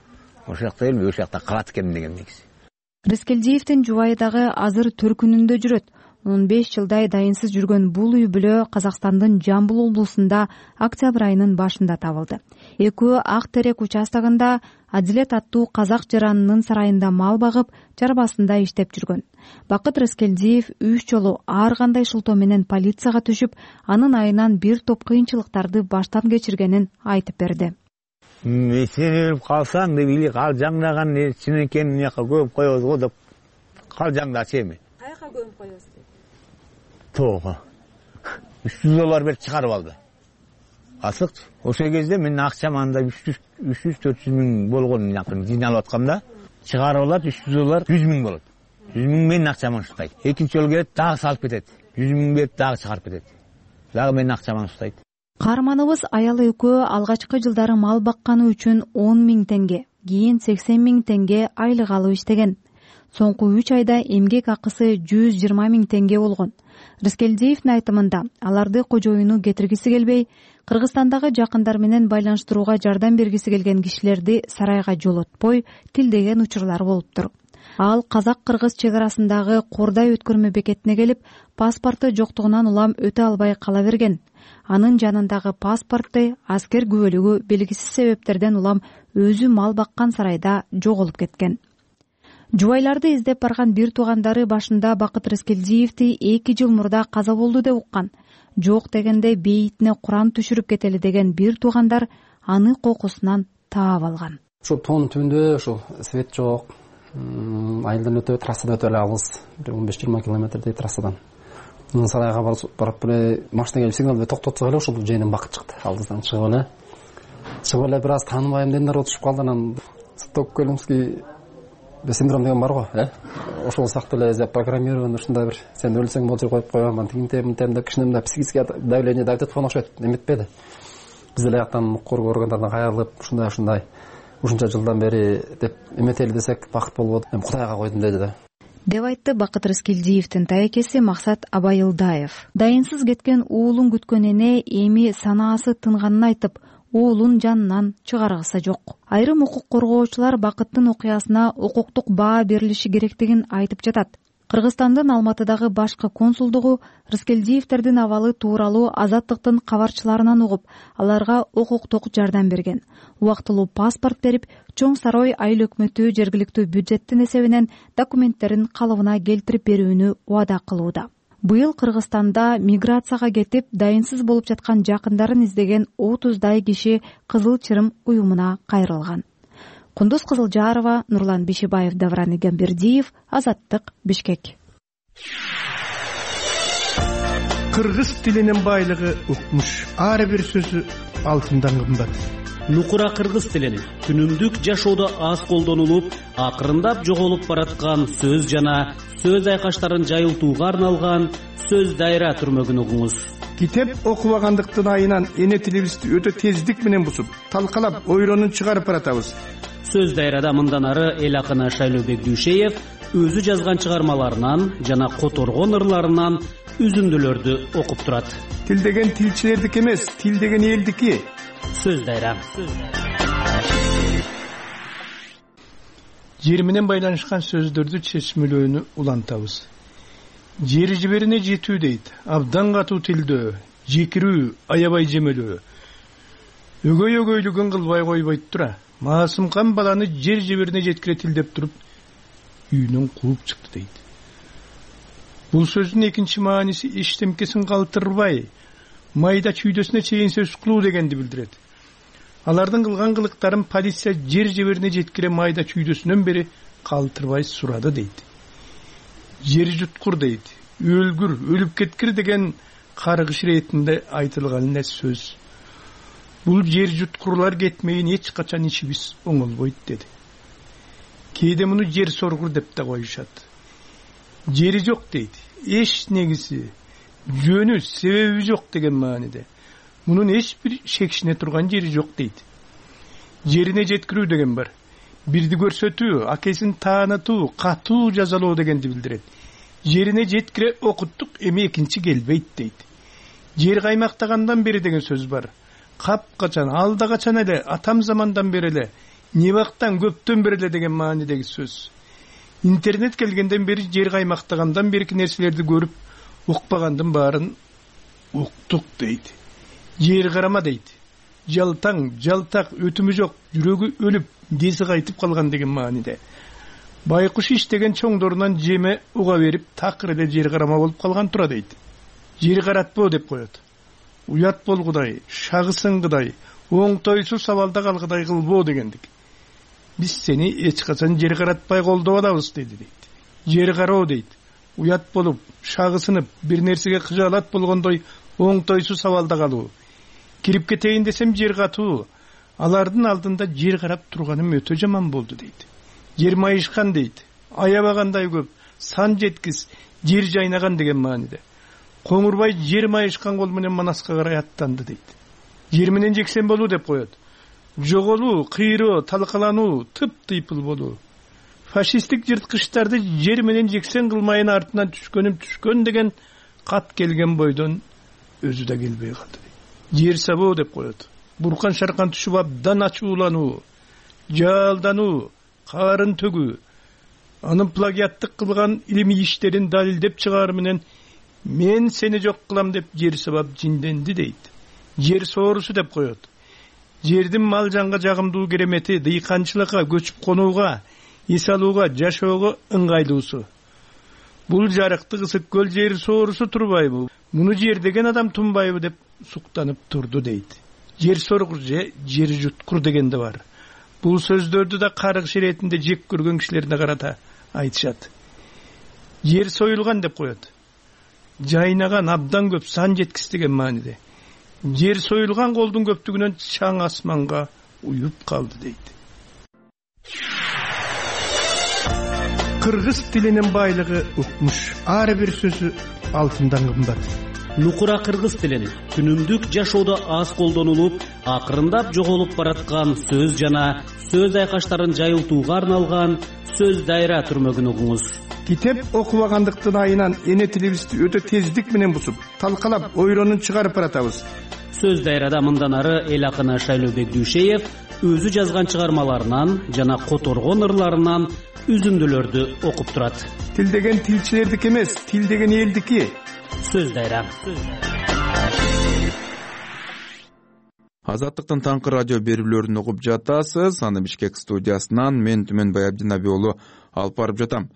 Ошол жакта эле ошол жакта калат экем деген негизи. Рыскелдиевдин жубайы дагы азыр төркүнүндө жүрөт. 15 жылдай дайынсыз жүргөн бул үй бүлө Казакстандын Жамбыл облусунда октябрь айынын башында табылды. Экөө Ак Терек участогунда Адилет аттуу казак жаранынын сарайында мал багып, чарбасында иштеп жүргөн. Бакыт Рыскелдиев 3 жолу ар кандай шылтоо менен полицияга түшүп, анын айынан бир топ кыйынчылыктарды баштан кечиргенин айтып берди. Сен өлүп калсаң деп или калжаңдаган чынекени мыяка көмүп коебуз го деп калжаңдачу эми. Каяка көмүп коебуз? Тоого. $300 берип чыгарып алды. Асыкчы. Ошол кезде мен акчам анда 300-400 миң болгон жакын жыйналып атканда, чыгарып алат $300 100 миң болот. 100 миң менин акчаман уштайт. Экинчи жолу келет, дагы салып кетет. 100 миң берип дагы чыгарып кетет. Дагы менин акчаман уштайт. Каарманыбыз аялы экөө алгачкы жылдары мал бакканы үчүн 10 миң теңге, кийин 80 миң теңге айлык алып иштеген. Соңку 3 айда эмгек акысы 120 миң теңге болгон. Рыскелдиевдин айтымында аларды кожоюну кетиргиси келбей, Кыргызстандагы жакындар менен байланыштырууга жардам бергиси келген кишилерди сарайга жолотпой тилдеген учурлар болуптур. Ал казак-кыргыз чек арасындагы Кордай өткөрмө бекетине келип, паспорту жоктугунан улам өтө албай кала берген. Анын жанындагы паспорту аскер күбөлүгү белгисиз себептерден улам өзү мал баккан сарайда жоголуп кеткен. Жубайларды издеп барган бир туугандары башында Бакыт Рыскелдиевди 2 жыл мурда каза болду деп уккан. Жок дегенде бейитине Куран түшүрүп кетели деген бир туугандар аны кокусунан таап алган. Ошо тоонун түбүндө ошо свет жок. Айылдан өтө трассада өтө эле алыс, 15-20 километрдей трассадан. Сарайга барып эле машина келип сигнал берип токтотсок эле ошол жайынан Бакыт чыкты. Алдыдан чыгып эле бир аз тааныбайм дендер отушуп калды. Анан стокгольмский синдром деген бар го, ошол сыяктуу эле запрограммирован ушундай бир сен өлсөң болчу коюп койган, тигинтем деп кичине психический давление давить эткөн окшойт, эметпеди. Биз эле жактан укур органдардан кайрылып, ушундай ушунча жылдан бери деп эметели десек бакыт болбоду. Эми Кудайга койдум деди да. Деп айтты Бакыт Рыскелдиевдин таекеси Максат Абайылдаев. Дайынсыз кеткен уулун күткөн эне эми санаасы тынганын айтып, уулун жанынан чыгаргысы жок. Айрым укук коргоочулар Бакыттын окуясына укуктук баа берилиши керектигин айтып жатат. Кыргызстандын Алматыдагы башкы консулдугу Рыскелдиевтердин абалы тууралуу Азаттыктын кабарчыларынан угуп, аларга укуктук жардам берген. Убактылуу паспорт берип, Чоң Сарой айыл өкмөтү жергиликтүү бюджеттин эсебинен документтерин калыбына келтирип берүүнү убада кылууда. Быйыл Кыргызстанда миграцияга кетип, дайынсыз болуп жаткан жакындарын издеген 30дай киши Кызыл Чырым уюмуна кайрылган. Кундуз Кызылжарова, Нурлан Бишибаев, Давран Игамбердиев, Азаттык, Бишкек. Кыргыз тилинин байлыгы укмуш. Ар бир сөзү алтындан кымбат. Нукура кыргыз тилин күнүмдүк жашоодо аз колдонулуп, акырындап жоголуп бараткан сөз жана сөз айкаштарын жайылтууга арналган сөз дайра түрмөгүн угуңуз. Китеп окубагандыктын айынан эне тилибизди өтө тездик менен бусуп, талкалап, ойлонуп чыгарып баратабыз. Сөз дайрада мындан ары эл акыны Шайлообек Дүйшеев өзү жазган чыгармаларынан жана которгон ырларынан үзүндүлөрдү окуп турат. Тил деген тилчилердики эмес, тил деген элдики. Сөз дайра. Жер менен байланышкан сөздөрдү чечмелөөнү улантабыз. Жер жиберине жетүү дейт. Абдан катуу тилдөө, жекирүү, аябай жемелөө. Өгөй-өгөйлүгүн кылбай койбойт тура. Маасымкан баланы жер жиберине жеткире тилдеп туруп, үйүнөн кууп чыкты дейт. Бул сөздүн экинчи мааниси эчтемкесин калтырбай, майда чүйдөсүнө чейин сөз кылуу дегенди билдирет. Алардын кылган кылыктарын полиция жер жиберине жеткире майда чүйдөсүнөн бери калтырбай сурады дейт. Жер жуткур дейт. Өлгүр, өлүп кеткир деген каргыш иретинде айтылган эле сөз. Бул жер жуткурлар кетмейин эч качан ичибиз оңолбойт деди. Кээде муну жер соргур деп да коюшат. Жери жок дейт. Эч негиси, жөнү, себеби жок деген мааниде. Мунун эч бир шекшине турган жери жок дейт. Жерине жеткирүү деген бар. Бирди көрсөтүү, акесин таанытуу, катуу жазалоо дегенди билдирет. Жерине жеткире окуттук, эми экинчи келбейт дейт. Жер каймактагандан бери деген сөз бар. Капкачан, алда качан эле, атам замандан бери эле, не вактан көптөн бери эле деген маанидеги сөз. Интернет келгенден бери жер каймактагандан берки нерселерди көрүп, укпагандын баарын уктук дейт. Жер карама дейт. Жалтаң, жалтак, өтүмү жок, жүрөгү өлүп, деси кайтып калган деген мааниде. Байкуш иштеген чоңдорунан жеме уга берип, такыр эле жер карама болуп калган тура дейт. Жер каратпоо деп коет. Уят болгудай, шагысыңгыдай, оңтойсуз сабалда калгыдай кылбоо дегендик. Биз сени эч качан жер каратпай колдоп алабыз деди дейт. Жер кароо дейт. Уят болуп, шагысынып, бир нерсеге кыжаалат болгондой оңтойсуз сабалда калуу. Кирип кетейин десем жер катуу. Алардын алдында жер карап турганым өтө жаман болду дейт. Жер майышкан дейт. Аябагандай көп, сан жеткис, жер жайнаган деген мааниде. Коңурбай жер майышкан кол менен Манаска карай аттанды дейт. Жер менен жексен болуу деп коет. Жоголуу, кыйроо, талкалануу, тыптыйпыл болуу. Фашисттик жырткычтарды жер менен жексен кылмайын артынан түшкөн деген кат келген бойдон өзү да келбей калды. Жер сабоо деп коет. Буркан шаркан түшүп абдан ачуулануу, жалдануу, карын төгүү. Анын плагиаттык кылган илимий иштерин далилдеп чыгаар менен мен сени жок кылам деп жер сабап жинденди дейт. Жер соорусу деп коет. Жердин мал жанга жагымдуу керемети, дыйканчылыкка, көчүп конууга, эс алууга, жашоого ыңгайлуусу. Бул жарыкты ысык көл жер соорусу турбайбы? Муну жер деген адам тунбайбы деп суктанып турду дейт. Жер соргур же жер жуткур дегенде бар. Бул сөздөрдү да каргыш иретинде жек көргөн кишилерге карата айтышат. Жер союлган деп коет. Жайнаган абдан көп, сан жеткис деген мааниде. Жер союлган колдун көптүгүнөн чаң асманга уюп калды дейт. Кыргыз тилинин байлыгы укмуш. Ар бир сөзү алтындан кымбат. Нукура кыргыз тилин күнүмдүк жашоодо аз колдонулуп, акырындап жоголуп бараткан сөз жана сөз айкаштарын жайылтууга арналган сөз дайра түрмөгүн угуңуз. Китеп окубагандыктын айынан эне тилибизди өтө тездик менен бусуп, талкалап, ойлонуп чыгарып баратабыз. Сөз дайрада мындан ары эл акыны Шайлообек Дүйшеев өзү жазган чыгармаларынан жана которгон ырларынан үзүндүлөрдү окуп турат. Тил деген тилчилердики эмес, тил деген элдики. Сөз дайра. Азаттыктын таңкы радио берүүлөрүн угуп жатасыз. Аны Бишкек студиясынан мен Түмөнбай Абдинаби уулу алып барып жатам.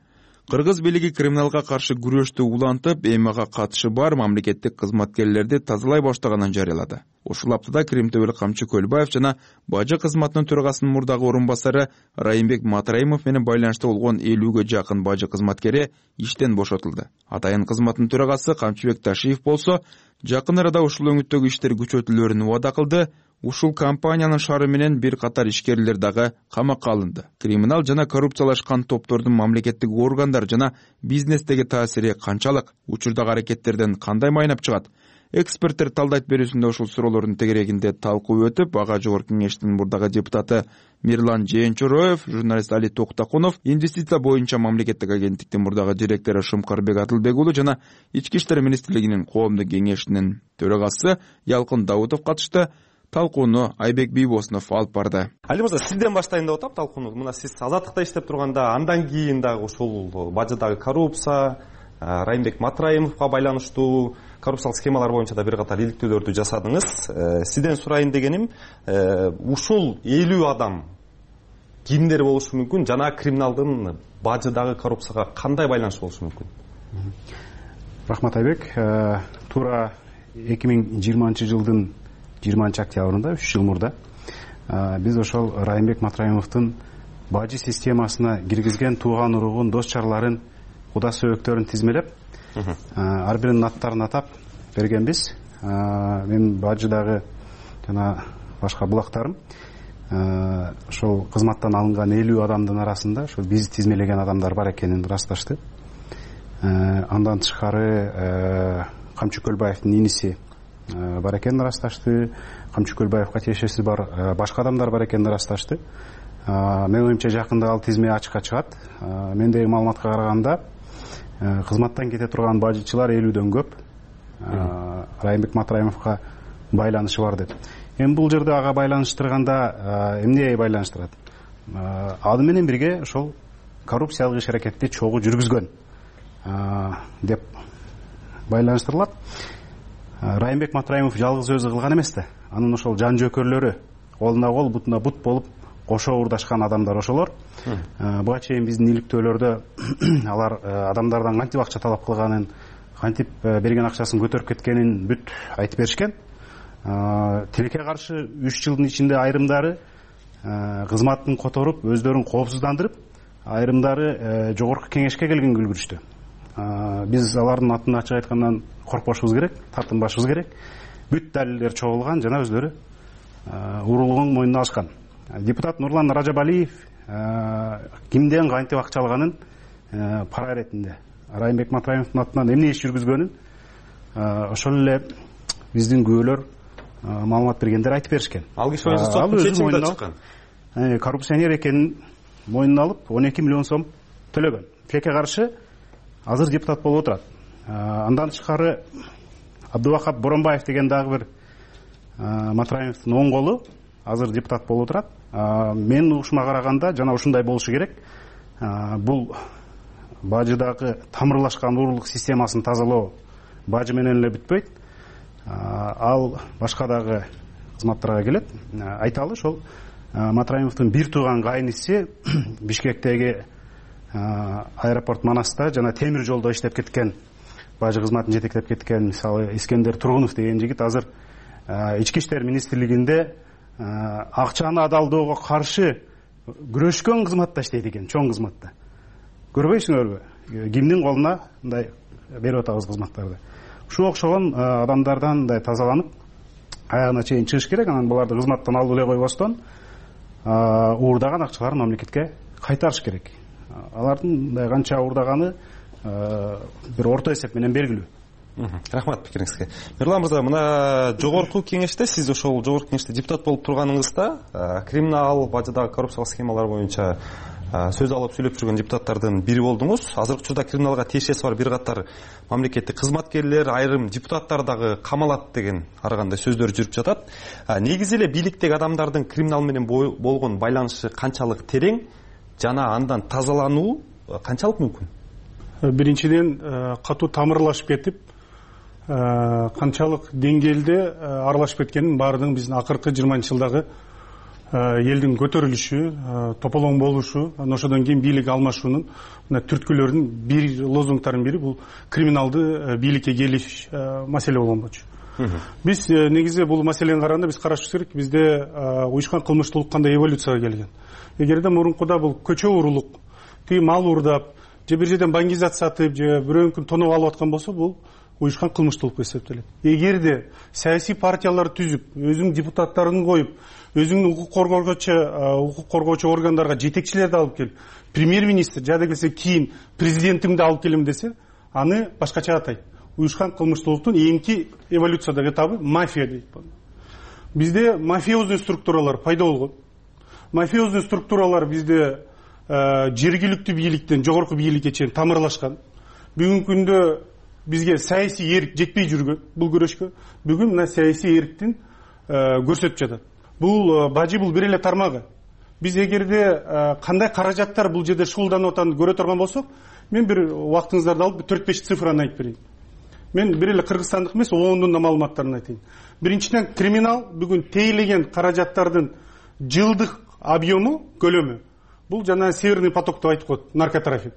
Кыргыз бийлиги криминалга каршы күрөштү улантып, эми ага катышы бар мамлекеттик кызматкерлерди тазалай баштаганын жарыялады. Ушул аптада Крим төбөлүк Камчы Көлбаев жана бажы кызматынын төрагасынын мурдагы орун басары Райымбек Матраимов менен байланышта болгон 50ге жакын бажы кызматкери иштен бошотулду. Атайын кызматтын төрагасы Камчыбек Ташиев болсо, жакын арада ушул өңүттөгү иштер күчөтүлөрүн убада кылды. Ушул компаниянын шары менен бир катар ишкерлер дагы камакка алынды. Криминал жана коррупциялашкан топтордун мамлекеттик органдар жана бизнестеги таасири канчалык? Учурдагы аракеттерден кандай майнап чыгат? Эксперттер талдайт берүүсүндө ушул суроолордун тегерегинде талкуу өтүп, ага Жогорку Кеңештин мурдагы депутаты Мирлан Жээнчороев, журналист Али Токтакунов, инвестиция боюнча мамлекеттик агенттиктин мурдагы директору Шумкарбек Атылбек уулу жана Ички иштер министрлигинин коомдук кеңешинин төрагасы Ялкын Даутов катышты. Талкууну Айбек Бийбосунов алып барды. Али мырза, сизден баштайын деп атам талкууну. Мына сиз Азаттыкта иштеп турганда, андан кийин дагы ушул бажыдагы коррупция, Райымбек Матраимовго байланыштуу коррупциялык схемалар боюнча да бир катар иликтөөлөрдү жасадыңыз. Сизден сурайын дегеним, ушул 50 адам кимдер болушу мүмкүн жана криминалдын бажыдагы коррупцияга кандай байланышы болушу мүмкүн? Рахмат Айбек. Туура 2020-жылдын 20 октябрында 3 жыл мурда биз ошол Райымбек Матраимовдун бажы системасына киргизген тууган уругун, дос чарларын, куда сөбөктөрүн тизмелеп, ар биринин аттарын атап бергенбиз. Мен бажыдагы жана башка булактарым ошол кызматтан алынган 50 адамдын арасында ошол биз тизмелеген адамдар бар экенин ырасташты. Андан тышкары Камчы Көлбаевдин иниси бар экенин ырасташты. Камчы Көлбаевга тиешеси бар башка адамдар бар экенин ырасташты. Мен оюмча жакында ал тизме ачыкка чыгат. Мендеги маалыматка караганда кызматтан кете турган бажычылар 50дөн көп. Райымбек Матраимовго байланышы бар деп. Эми бул жерде ага байланыштырганда эмне байланыштырат? Аны менен бирге ошол коррупциялык иш аракетти чогуу жүргүзгөн деп байланыштырылат. Райымбек Матраимов жалгыз өзү кылган эмес да. Анын ошол жан жөкөрлөрү колуна кол, бутуна бут болуп кошо урдашкан адамдар ошолор. Буга чейин биздин иликтөөлөрдө алар адамдардан кантип акча талап кылганын, кантип берген акчасын көтөрүп кеткенин бүт айтып беришкен. Тилекке каршы 3 жылдын ичинде айрымдары кызматын которуп, өздөрүн коопсуздандырып, айрымдары Жогорку Кеңешке келгенге үлгүрүштү. Биз алардын атын ачык айткандан коркпошубуз керек, тартынбашыбыз керек. Бүт далилдер чогулган жана өздөрү уурулугун мойнуна алышкан. Депутат Нурлан Ражабалиев кимден кантип акча алганын пара иретинде, Райымбек Матраимовдун атынан эмне иш жүргүзгөнүн ошол эле биздин күбөлөр маалымат бергендер айтып беришкен. Ал киши соттун чечимине чыккан. Коррупционер экенин мойнуна алып 12 миллион сом төлөгөн. Тилекке каршы азыр депутат болуп отурат. Андан тышкары Абдубакап Боронбаев деген дагы бир Матраимовдун оң колу азыр депутат болуп отурат. Мен угушума караганда жана ушундай болушу керек. Бул бажыдагы тамырлашкан уруулук системасын тазалоо бажы менен эле бүтпөйт. Ал башка дагы кызматтарга келет. Айталы ошол Матраимовдун бир тууган кайниси Бишкектеги аэропорт Манаста жана темир жолдо иштеп кеткен, бажы кызматын жетектеп кеткен, мисалы Искендер Тургунов деген жигит азыр Ички иштер министрлигинде акчаны адалдоого каршы күрөшкөн кызматта иштейт экен, чоң кызматта. Көрбөйсүңөрбү? Кимдин колуна мындай берип атабыз кызматтарды. Ушуга окшогон адамдардан мындай тазаланып, аягына чейин чыгыш керек. Анан буларды кызматтан алып эле койбостон уурдаган акчаларын мамлекетке кайтарыш керек. Алардын мындай канча уурдаганы бир орто эсеп менен белгилүү. Рахмат пикириңизге. Мирлан мырза, мына Жогорку Кеңеште сиз ошол Жогорку Кеңеште депутат болуп турганыңызда криминал, бажыдагы коррупциялык схемалар боюнча сөз алып сүйлөп жүргөн депутаттардын бири болдуңуз. Азыркы учурда криминалга тиешеси бар бир катар мамлекеттик кызматкерлер, айрым депутаттар дагы камалат деген ар кандай сөздөр жүрүп жатат. Негизи эле бийликтеги адамдардын криминал менен болгон байланышы канчалык терең жана андан тазалануу канчалык мүмкүн? биринчиден катуу тамырлашып кетип, канчалык деңгээлде аралашып кеткенин баардыгын биздин акыркы 20-жылдагы элдин көтөрүлүшү, тополоң болушу, ошодон кийин бийлик алмашуунун мына түрткүлөрүнүн бир лозунгтарынын бири бул криминалды бийликке келиш маселе болгон болчу. Биз негизи бул маселени караганда биз карашыбыз керек, бизде уюшкан кылмыштуулук кандай эволюцияга келген. Эгерде мурункуда бул көчө уруулук, тиги мал уурдап, же бир жерден баңгизат сатып, же бирөөнүкүн тоноп алып аткан болсо, бул уюшкан кылмыштуулук эсептелет. Эгерде саясий партиялар түзүп, өзүнүн депутаттарын коюп, өзүнүн укук коргоочу органдарга жетекчилерди алып келип, премьер-министр жада келсе кийин президентимди алып келем десе, аны башкача атайт. Уюшкан кылмыштуулуктун эңки эволюциядагы этабы мафия дейт. Бизде мафиозный структуралар пайда болгон. Мафиозный структуралар бизде жергиликтүү бийликтен жогорку бийликке чейин тамырлашкан. Бүгүнкү күндө бизге саясий эрк жетпей жүргөн бул күрөшкө. Бүгүн мына саясий эрктин көрсөтүп жатат. Бул бажы бул бир эле тармагы. Биз эгерде кандай каражаттар бул жерде шуулданып атганын көрө турган болсок, мен бир убактыңыздарды алып 4-5 цифраны айтып берейин. Мен бир эле кыргызстандык эмес, ООНдун да маалыматтарын айтайын. Биринчиден, криминал бүгүн тейлеген каражаттардын жылдык объему, көлөмү. Бул жана Северный поток деп айтып коет, наркотрафик.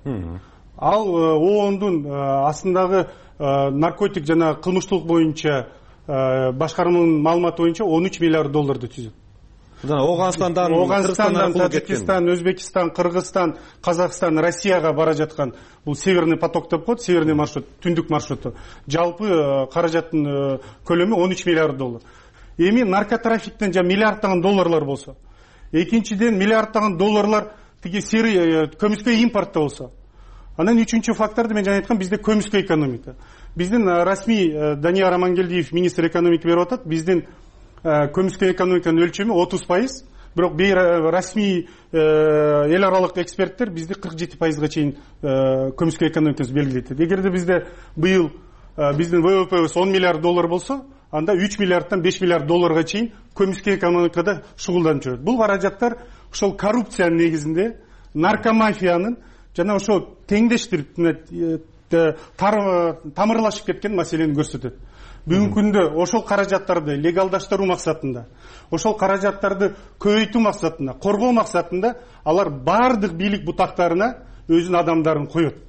Ал ООНдун астындагы наркотик жана кылмыштуулук боюнча башкарманын маалыматы боюнча 13 миллиард долларды түзөт. Оганстандан, Таджикистан, Өзбекистан, Кыргызстан, Казакстан, Россияга бара жаткан бул Северный поток деп коет, северный маршрут, түндүк маршруту. Жалпы каражаттын көлөмү 13 миллиард доллар. Эми наркотрафиктен жа миллиардтаган долларлар болсо, экинчиден миллиардтаган долларлар тиги серый көмүскө импортто болсо. Анан үчүнчү факторду мен жана айткам, бизде көмүскө экономика. Биздин расмий Данияр Амангелдиев министр экономика берип атат. Биздин көмүскө экономиканын өлчөмү 30%, бирок расмий эл аралык эксперттер бизди 47%га чейин көмүскө экономикасы белгилейт. Эгерде бизде быйыл биздин ВВПбиз 10 миллиард доллар болсо, анда 3 миллиардтан 5 миллиард долларга чейин көмүскө экономикада шугулданып жүрөт. Бул каражаттар ошол коррупциянын негизинде, наркомафиянын жана ошол теңдештирип тамырлашып кеткен маселени көрсөтөт. Бүгүнкү күндө ошол каражаттарды легалдаштыруу максатында, ошол каражаттарды көбөйтүү максатында, коргоо максатында алар бардык бийлик бутактарына өзүнүн адамдарын коет.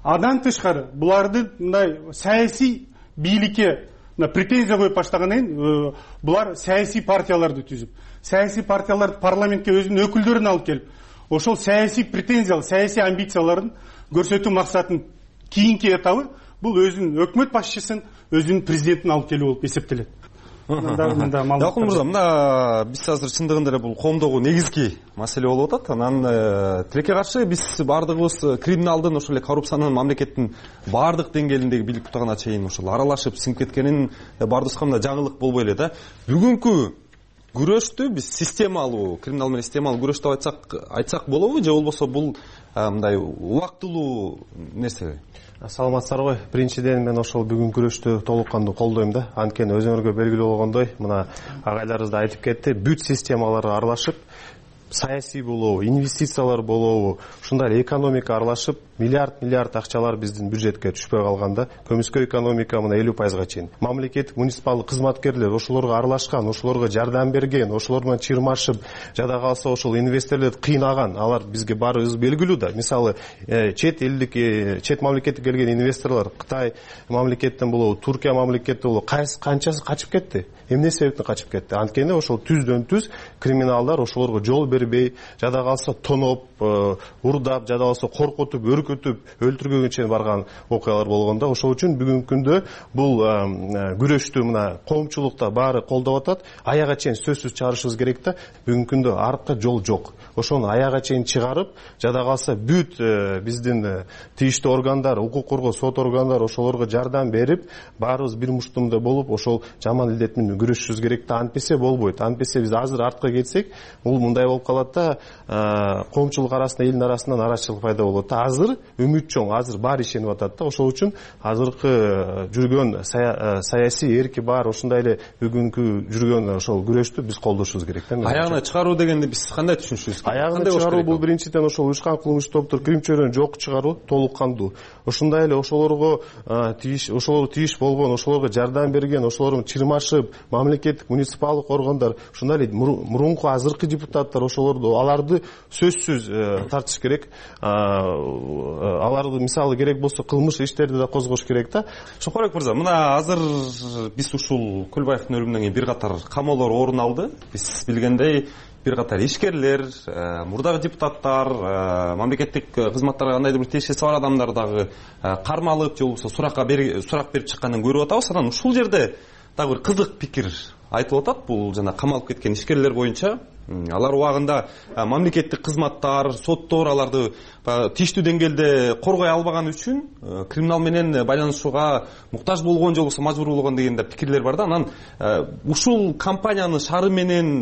Андан тышкары буларды мындай саясий бийликке претензия коюп баштагандан кийин булар саясий партияларды түзүп, саясий партияларды парламентке өзүнүн өкүлдөрүн алып келип, ошол саясий претензиялар, саясий амбицияларын көрсөтүү максатынын кийинки этабы бул өзүнүн өкмөт башчысын, өзүнүн президентин алып келүү болуп эсептелет. Далкун мырза, мына биз азыр чындыгында эле бул коомдогу негизги маселе болуп атат. Анан тилекке каршы биз бардыгыбыз криминалдын, ошол эле коррупциянын мамлекеттин бардык деңгээлиндеги бийлик бутагына чейин ошол аралашып сиңип кеткенин бардыбызга мына жаңылык болбой эле да. Бүгүнкү күрөштү биз системалуу, криминал менен системалуу күрөш деп айтсак болобу, же болбосо бул мындай убактылуу нерсе? Саламатсыздар. Биринчиден мен ошол бүгүн күрөштү толук кандуу колдойм да. Анткени өзүңөргө белгилүү болгондой, мына агайларыбыз да айтып кетти, бүт системалар аралашып, саясий болобу, инвестициялар болобу, ушундай экономика аралашып, миллиард акчалар биздин бюджетке түшпөй калганда, көмүскө экономика мына 50%га чейин. Мамлекеттик муниципалдык кызматкерлер ошолорго аралашкан, ошолорго жардам берген, ошолор менен чырмашып, жада калса ошол инвесторлорду кыйнаган. Алар бизге баарыбыз белгилүү да. Мисалы, чет мамлекеттен келген инвесторлор Кытай мамлекеттен болобу, Туркия мамлекеттен болобу, канчасы качып кетти? Эмне себептен качып кетти? Анткени ошол түздөн түз криминалдар ошолорго жол бербей, жада калса тоноп, урдап, жада калса коркутуп, өлтүргөнгө чейин барган окуялар болгондо, ошол үчүн бүгүнкү күндө бул күрөштү мына коомчулукта баары колдоп атат. Аяга чейин сөзсүз чыгарышыбыз керек да. Бүгүнкү күндө артка жол жок. Ошону аяга чейин чыгарып, жада калса бүт биздин тийиштүү органдар, укук коргоо сот органдары ошолорго жардам берип, баарыбыз бир муштумда болуп, ошол жаман илдет менен күрөшүшүбүз керек да. Антпесе болбойт. Антпесе биз азыр артка кетсек, бул мындай болуп калат да, коомчулук арасында, элдин арасында нараазычылык пайда болот да. Азыр үмүт чоң, азыр баары ишенип атат да. Ошол үчүн азыркы жүргөн саясий эрки бар, ошондой эле бүгүнкү жүргөн ошол күрөштү биз колдошубуз керек да. Аягына чыгаруу дегенди биз кандай түшүнүшүбүз? Аягына чыгаруу бул биринчиден ошол уюшкан кылмыш топтор кирим чөйрөнү жок чыгаруу, толук кандуу. Ошондой эле ошолорго тийиш болгон, ошолорго жардам берген, ошолордун чырмашып, мамлекеттик муниципалдык органдар, ошондой эле мурунку азыркы депутаттар, ошолорду аларды сөзсүз тартыш керек. Аларды мисалы керек болсо кылмыш иштерди да козгош керек да. Шокорбек мырза, мына азыр биз ушул Көлбаевдин өлүмүнөн кийин бир катар камоолор орун алды. Биз билгендей бир катар ишкерлер, мурдагы депутаттар, мамлекеттик кызматтарга кандайдыр бир тиешеси бар адамдар дагы кармалып же болбосо сурак берип чыкканын көрүп атабыз. Анан ушул жерде дагы бир кызык пикир айтылып атат. Бул жана камалып кеткен ишкерлер боюнча алар убагында мамлекеттик кызматтар, соттор аларды тийиштүү деңгээлде коргой албаган үчүн криминал менен байланышууга муктаж болгон же болбосо мажбур болгон деген да пикирлер бар да. Анан ушул компаниянын шары менен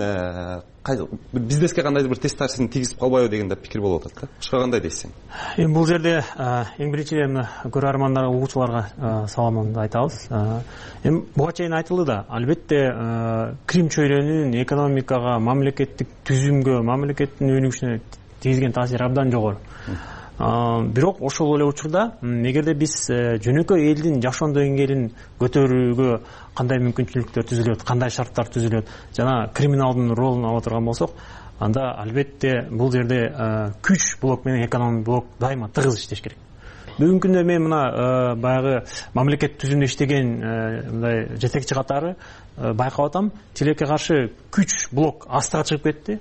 бизнеске кандайдыр бир тест таасирин тийгизип калбайбы деген да пикир болуп атат да. Ушуга кандай дейсиң? Эми бул жерде эң биринчиден көрөрмандарга, угуучуларга саламымды айтабыз. Эми буга чейин айтылды да, албетте Крим чөйрөнүн экономикага, мамлекеттик түзүмгө, мамлекеттин өнүгүшүнө тийгизген таасири абдан жогору. Бирок ошол эле учурда эгерде биз жөнөкөй элдин жашоо деңгээлин көтөрүүгө кандай мүмкүнчүлүктөр түзүлөт, кандай шарттар түзүлөт жана криминалдын ролун ала турган болсок, анда албетте бул жерде күч блок менен экономик блок дайыма тыгыз иштеш керек. Бүгүнкү күндө мен мына баягы мамлекет түзүмдө иштеген мындай жетекчи катары байкап атам, тилекке каршы күч блок астыга чыгып кетти,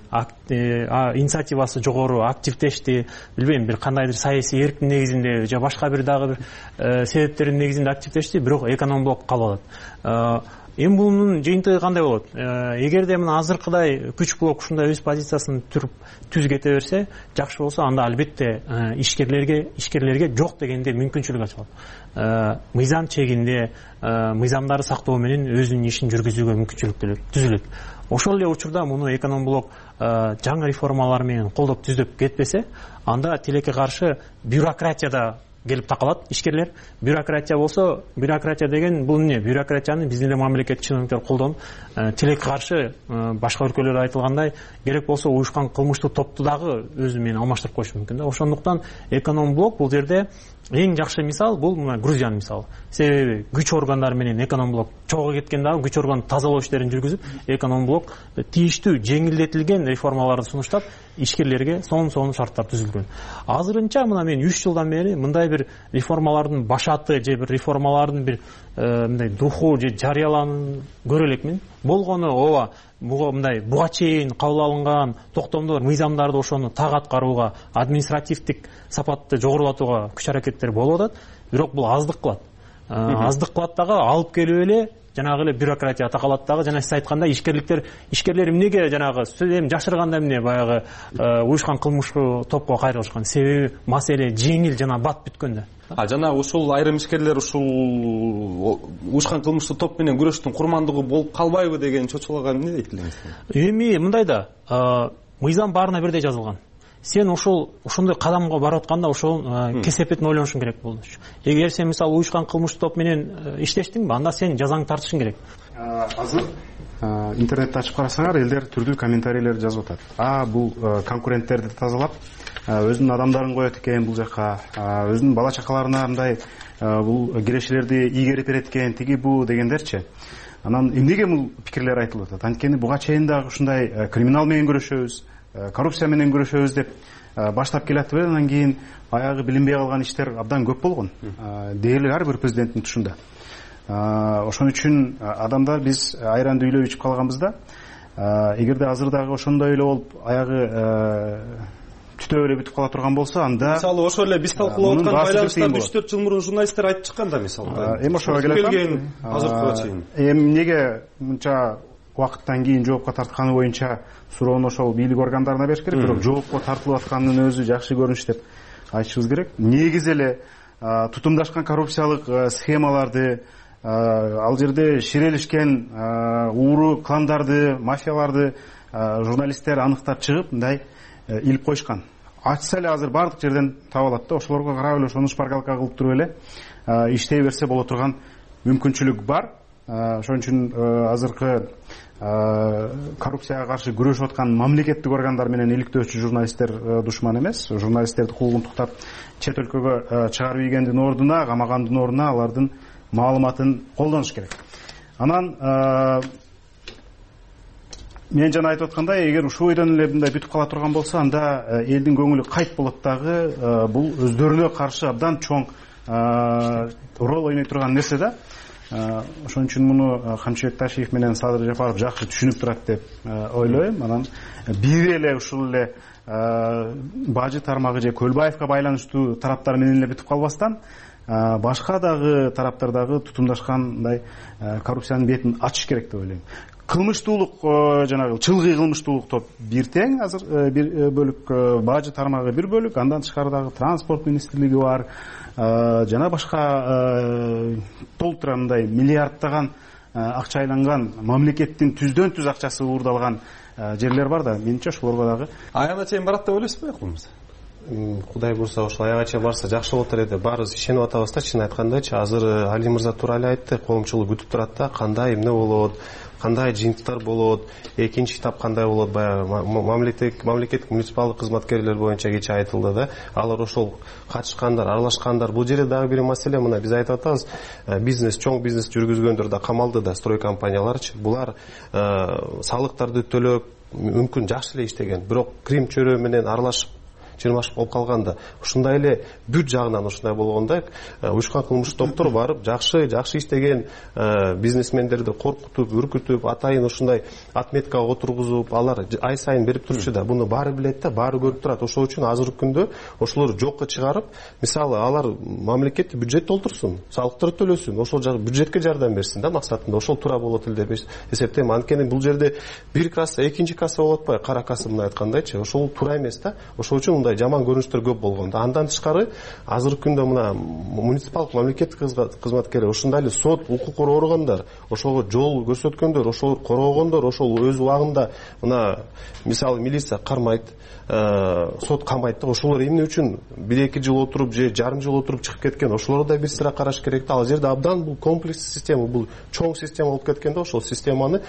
инициативасы жогору, активдешти, билбейм, бир кандайдыр саясий эрктин негизинде же башка бир дагы бир себептердин негизинде активдешти, бирок эконом блок калып атат. Эми бунун жыйынтыгы кандай болот? Эгерде мына азыркыдай күч блок ушундай өз позициясын түз кете берсе, жакшы болсо, анда албетте ишкерлерге жок дегенде мүмкүнчүлүк ачылат. Мыйзам чегинде, мыйзамдарды сактоо менен өзүнүн ишин жүргүзүүгө мүмкүнчүлүк түзүлөт. Ошол эле учурда муну эконом блок жаңы реформалар менен колдоп түздөп кетпесе, анда тилекке каршы бюрократияда келип такалат ишкерлер. Бюрократия болсо, бюрократия деген бул эмне? Бюрократияны биздин эле мамлекеттик чиновниктер колдонуп, тилекке каршы башка өлкөлөрдө айтылгандай, керек болсо уюшкан кылмыштуу топту дагы өзү менен алмаштырып коюшу мүмкүн да. Ошондуктан эконом блок бул жерде эң жакшы мисал бул мына Грузиянын мисалы. Себеби күч органдары менен эконом блок чогуу кеткен дагы күч орган тазалоо иштерин жүргүзүп, эконом блок тийиштүү жеңилдетилген реформаларды сунуштап, ишкерлерге сонун шарттар түзүлгөн. Азырынча мына мен 3 жылдан бери мындай бир реформалардын башаты же бир реформалардын бир мындай духу же жарыяланын көрө элекмин. Болгону ооба, буга чейин кабыл алынган токтомдор, мыйзамдарды ошону так аткарууга, административдик сапатты жогорулатууга күч аракеттер болуп атат, бирок бул аздык кылат. Аздык кылат дагы, алып келип эле жанагы эле бюрократия такалат дагы. Жана сиз айткандай ишкерлер эмнеге жанагы эми жашырганда эмне баягы уюшкан кылмыштуу топко кайрылышкан? Себеби маселе жеңил жана бат бүткөн да. Жана ушул айрым ишкерлер ушул уюшкан кылмыштуу топ менен күрөштүн курмандыгы болуп калбайбы деген чочуларга эмне дейт элеңиз? Эми мындай да, мыйзам баарына бирдей жазылган. Сен ошондой кадамга барып атканда ошол кесепетин ойлонушуң керек болду. Эгер сен мисалы уюшкан кылмыштуу топ менен иштештиңби, анда сен жазаңды тартышың керек. Азыр интернетти ачып карасаңар, элдер түрдүү комментарийлер жазып атат. Бул конкуренттерди тазалап, өзүнүн адамдарын коет экен бул жака, өзүнүн бала чакаларына мындай бул кирешелерди ийгерип берет экен, тиги бу дегендерчи. Анан эмнеге бул пикирлер айтылып атат? Анткени буга чейин дагы ушундай криминал менен көрүшөбүз, коррупция менен көрүшөбүз деп баштап келатып, анан кийин баягы билинбей калган иштер абдан көп болгон. Дээрлик ар бир президенттин тушунда. Ошон үчүн адамдар биз айранды үйлөп ичип калганбыз да. Эгерде азыр дагы ошондой эле болуп аягы түтөп эле бүтүп кала турган болсо, анда мисалы ошол эле биз талкуулап аткан байланыштарды 3-4 жыл мурун журналисттер айтып чыккан да, мисалы. Эми ошого келген азыркыга чейин. Эми эмнеге мынча убакыттан кийин жоопко тартканы боюнча суроону ошол бийлик органдарына бериш керек, бирок жоопко тартылып атканынын өзү жакшы көрүнүш деп айтышыбыз керек. Негизи эле тутумдашкан коррупциялык схемаларды, ал жерде ширелишкен ууру кландарды, мафияларды журналисттер аныктап чыгып мындай илип коюшкан. Ачса эле азыр баардык жерден таба алат да, ошолорго карап эле ошону шпаргалка кылып туруп эле иштей берсе боло турган мүмкүнчүлүк бар. Ошон үчүн азыркы коррупцияга каршы күрөшүп аткан мамлекеттик органдар менен иликтөөчү журналисттер душман эмес. Журналисттерди куугун туктап чет өлкөгө чыгарып ийгендин ордуна, камагандын ордуна алардын маалыматын колдонуш керек. Анан мен жана айтып аткандай, эгер ушул бойдон эле мындай бүтүп кала турган болсо, анда элдин көңүлү кайт болот дагы. Бул өздөрүнө каршы абдан чоң роль ойной турган нерсе да. Ошон үчүн муну Камчыбек Ташиев менен Садыр Жапаров жакшы түшүнүп турат деп ойлойм. Анан бири эле ушул эле бажы тармагы же Көлбаевка байланыштуу тараптар менен эле бүтүп калбастан, башка дагы тараптар дагы тутумдашкандай коррупциянын бетин ачыш керек деп ойлойм. Кылмыштуулук, жанагы чылгый кылмыштуулук топ бир тең, азыр бир бөлүк, бажы тармагы бир бөлүк, андан тышкары дагы транспорт министрлиги бар, жана башка толтура мындай миллиардтаган акча айланган, мамлекеттин түздөн түз акчасы уурдалган жерлер бар да, менимче ошолорго дагы аягына чейин барат деп ойлойсузбу, кылмыс? Кудай буйруса ошол аягына чейин барса жакшы болот эле деп баарыбыз ишенип атабыз да. Чын айткандачы, азыр Али мырза туура эле айтты, коомчулук күтүп турат да, кандай эмне болот, кандай жыйынтыктар болот, экинчи этап кандай болот. Баягы мамлекеттик муниципалдык кызматкерлер боюнча кечээ айтылды да, алар ошол катышкандар, аралашкандар. Бул жерде дагы бир маселе, мына биз айтып атабыз, бизнес, чоң бизнес жүргүзгөндөр да камалды да, строй компанияларчы. Булар салыктарды төлөп, мүмкүн жакшы эле иштеген, бирок крим чөйрө менен аралашып чырмашып болуп калганда, ушундай эле бүт жагынан ушундай болгондо уюшкан кылмыш топтор барып жакшы иштеген бизнесмендерди коркутуп, үркүтүп, атайын ушундай отметкага отургузуп, алар ай сайын берип турчу да. Буну баары билет да, баары көрүп турат. Ошол үчүн азыркы күндө ошолорду жокко чыгарып, мисалы алар мамлекеттик бюджет толтурсун, салыктарды төлөсүн, ошол бюджетке жардам берсин да максатында. Ошол туура болот эле деп эсептейм. Анткени бул жерде бир касса, экинчи касса болуп атпайбы, кара касса мындай айткандайчы. Ошол туура эмес да. Ошол үчүн жаман көрүнүштөр көп болгон. Андан тышкары азыркы күндө мына муниципалдык мамлекеттик кызматкерлер, ушундай эле сот, укук коргоо органдар, ошого жол көрсөткөндөр, ошол коргогондор, ошол өз убагында мына мисалы милиция кармайт, сот камайт да. Ошолор эмне үчүн 1-2 жыл отуруп же жарым жыл отуруп чыгып кеткен, ошолорду да бир сыра караш керек да. Ал жерде абдан бул комплекс система, бул чоң система болуп кеткен да. Ошол системаны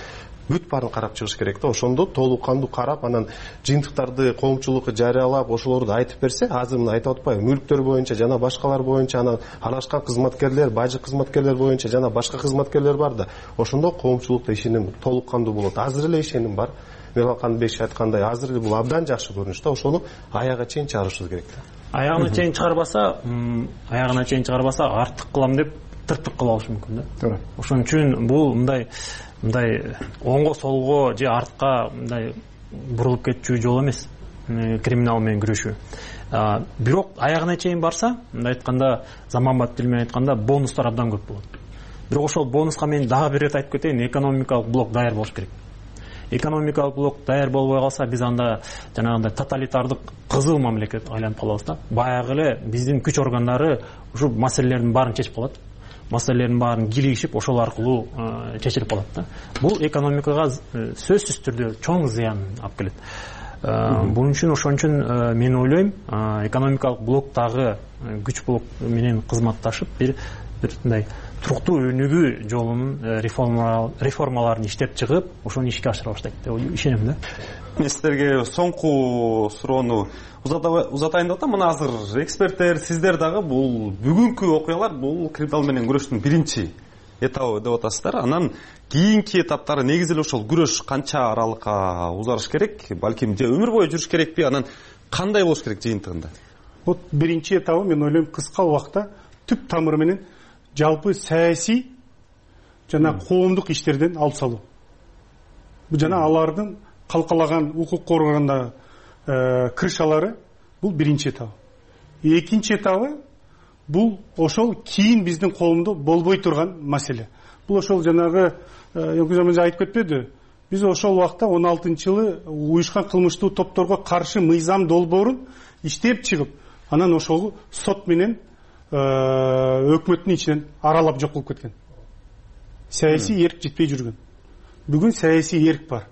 бүт баарын карап чыгыш керек да. Ошондо толук кандуу карап, анан жыйынтыктарды коомчулукка жарыялап, ошолорду айтып берсе, азыр мына айтып атпайбы, мүлктөр боюнча жана башкалар боюнча, анан аралашкан кызматкерлер, бажы кызматкерлер боюнча жана башка кызматкерлер бар да. Ошондо коомчулукта ишеним толук кандуу болот. Азыр эле ишеним бар. Мирза Канатбек айткандай, азыр эле бул абдан жакшы көрүнүш да. Ошону аягына чейин чыгарышыбыз керек да. Аягына чейин чыгарбаса, артык кылам деп тыртык кылып алышы мүмкүн да. Туура. Ошон үчүн бул мындай оңго солго же артка мындай бурулуп кетчү жол эмес криминал менен күрөшүү. Бирок аягына чейин барса, мындай айтканда, заманбап тил менен айтканда, бонустар абдан көп болот. Бирок ошол бонуска мен дагы бир рет айтып кетейин, экономикалык блок даяр болуш керек. Экономикалык блок даяр болбой калса, биз анда жанагындай тоталитардык кызыл мамлекет айланып калабыз да. Баягы эле биздин күч органдары ушул маселелердин баарын чечип калат. Маселелердин баарын килигишип, ошол аркылуу чечилип калат да. Бул экономикага сөзсүз түрдө чоң зыян алып келет. Бунун үчүн ошон үчүн мен ойлойм, экономикалык блоктагы күч блок менен кызматташып бир мындай туруктуу өнүгүү жолунун реформаларын иштеп чыгып, ошону ишке ашыра баштайт деп ишенем да. Мен сиздерге соңку суроону узатайын деп атам. Мына азыр эксперттер, сиздер дагы бул бүгүнкү окуялар, бул криминал менен күрөштүн биринчи этабы деп атасыздар. Анан кийинки этаптары негизи эле ошол күрөш канча аралыкка узарыш керек, балким же өмүр бою жүрүш керекпи, анан кандай болуш керек жыйынтыгында? Вот биринчи этабы мен ойлойм кыска убакта түп тамыры менен жалпы саясий жана коомдук иштерден алып салуу. Бул жана алардын калкалаган укук коргогондагы крышалары, бул биринчи этабы. Экинчи этабы бул ошол кийин биздин коомдо болбой турган маселе. Бул ошол жанагы Янкузамын айтып кетпеди. Биз ошол убакта 16-жылы уюшкан кылмыштуу топторго каршы мыйзам долбоорун иштеп чыгып, анан ошол сот менен өкмөттүн ичинен аралап жок болуп кеткен. Саясий эрк жетпей жүргөн. Бүгүн саясий эрк бар.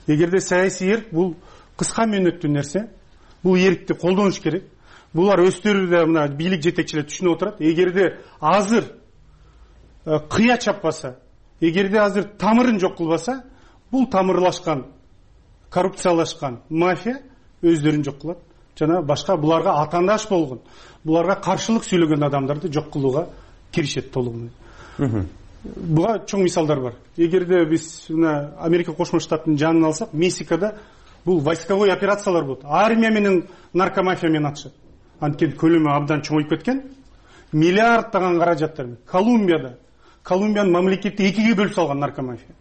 эгерде саясий эрк бул кыска мөөнөттүү нерсе, бул эркти колдонуш керек. Булар өздөрү да мына бийлик жетекчилери түшүнүп отурат. Эгерде азыр кыя чаппаса, эгерде азыр тамырын жок кылбаса, бул тамырлашкан, коррупциялашкан мафия өздөрүн жок кылат. Жана башка буларга атаандаш болгон, буларга каршылык сүйлөгөн адамдарды жок кылууга киришет толугу. Буга чоң мисалдар бар. Эгерде биз мына Америка Кошмо Штаттын жанын алсак, Мексикада бул войсковой операциялар болот. Армия менен наркомафия менен атышат. Анткени көлөмү абдан чоңоюп кеткен. Миллиарддаган каражаттар. Колумбиянын мамлекетти экиге бөлүп салган наркомафия.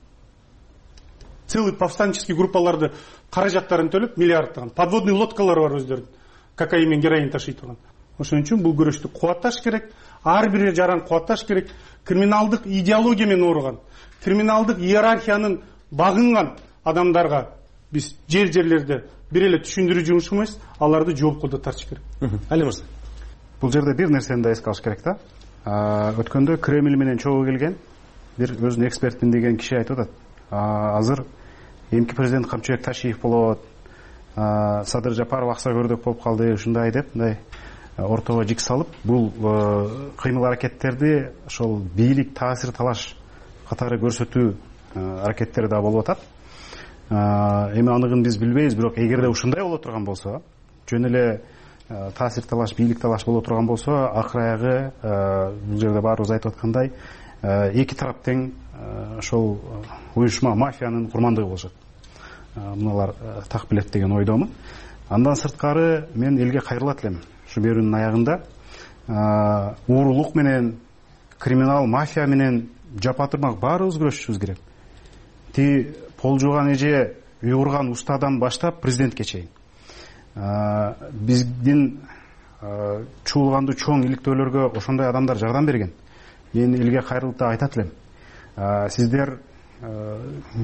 Целый повстанческий группаларды каражаттарын төлөп миллиарддаган. Подводный лодкалар бар өздөрүнүн. Кокаин менен героин ташый турган. Ошон үчүн бул күрөштү кубатташ керек. Ар бир жаран кубатташ керек. Криминалдык идеология менен ооруган, криминалдык иерархиянын багынган адамдарга биз жерлерде бир эле түшүндүрүү жумушубуз, аларды жоопко да тартыш керек. Али мырза, бул жерде бир нерсени да эске алыш керек да. Өткөндө Кремль менен чогуу келген бир өзүнүн экспертмин деген киши айтып атат. Азыр эмки президент Камчыбек Ташиев болот, Садыр Жапаров акса көрдөк болуп калды, ушундай деп, мындай ортого жик салып, бул кыймыл аракеттерди ошол бийлик таасир талаш катары көрсөтүү аракеттери да болуп атат. Эми аныгын биз билбейбиз, бирок эгерде ушундай боло турган болсо, жөн эле таасир талаш, бийлик талаш боло турган болсо, акыр аягы бул жерде баарыбыз айтып аткандай, эки тарап тең ошол уюшма мафиянын курмандыгы болушат. Мыналар так билет деген ойдомун. Андан сырткары мен элге кайрылат элем. Ушу берүүнүн аягында уурулук менен, криминал мафия менен жапатырмак баарыбыз күрөшүшүбүз керек. Ти пол жууган эже, үй курган устадан баштап президентке чейин. Биздин чуулгандуу чоң иликтөөлөргө ошондой адамдар жардам берген. Мен элге кайрылып да айтат элем. Сиздер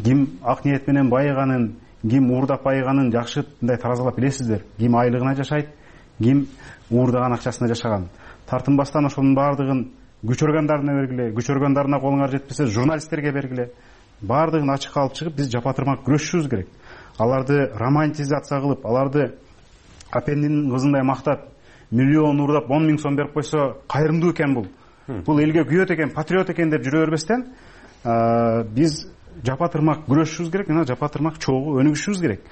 ким ак ниет менен байыганын, ким уурдап байыганын жакшы мындай таразалап билесиздер. Ким айлыгына жашайт, ким уурдаган акчасына жашаган. Тартынбастан ошонун баардыгын күч органдарына бергиле, күч органдарына колуңар жетпесе журналисттерге бергиле. Баардыгын ачыкка алып чыгып биз жапатырмак күрөшүшүбүз керек. Аларды романтизация кылып, аларды апендинин кызындай мактап, миллион уурдап 10 000 сом берип койсо кайрымдуу экен бул. Бул элге күйөт экен, патриот экен деп жүрө бербестен, биз жапатырмак күрөшүшүбүз керек, жана жапатырмак чогуу өнүгүшүбүз керек.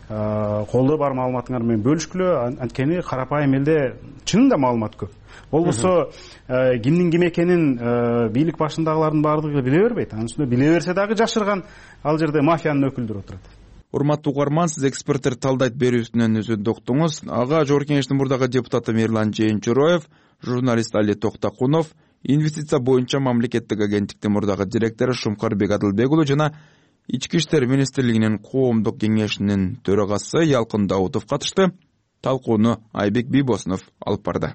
Колдо бар маалыматыңар менен бөлүшкүлө, анткени карапайым элде чынында маалымат көп. Болбосо кимдин ким экенин бийлик башындагылардын баардыгы биле бербейт. Анын үстүнө биле берсе дагы жашырган ал жерде мафиянын өкүлдөрү отурат. Урматтуу угарман, сиз эксперттер талдайт берүүсүнөн өзүндү уктуңуз. Ага Жогорку Кеңештин мурдагы депутаты Мирлан Жээнчуроев, журналист Али Токтакунов, инвестиция боюнча мамлекеттик агенттиктин мурдагы директору Шумкарбек Адылбек уулу жана Ички иштер министрлигинин коомдук кеңешинин төрагасы Ялкын Даутов катышты. Талкууну Айбек Бийбосунов алып барды.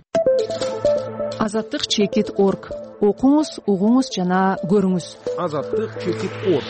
Азаттык чекит.org. Окуңуз, угуңуз жана көрүңүз. Азаттык чекит.org.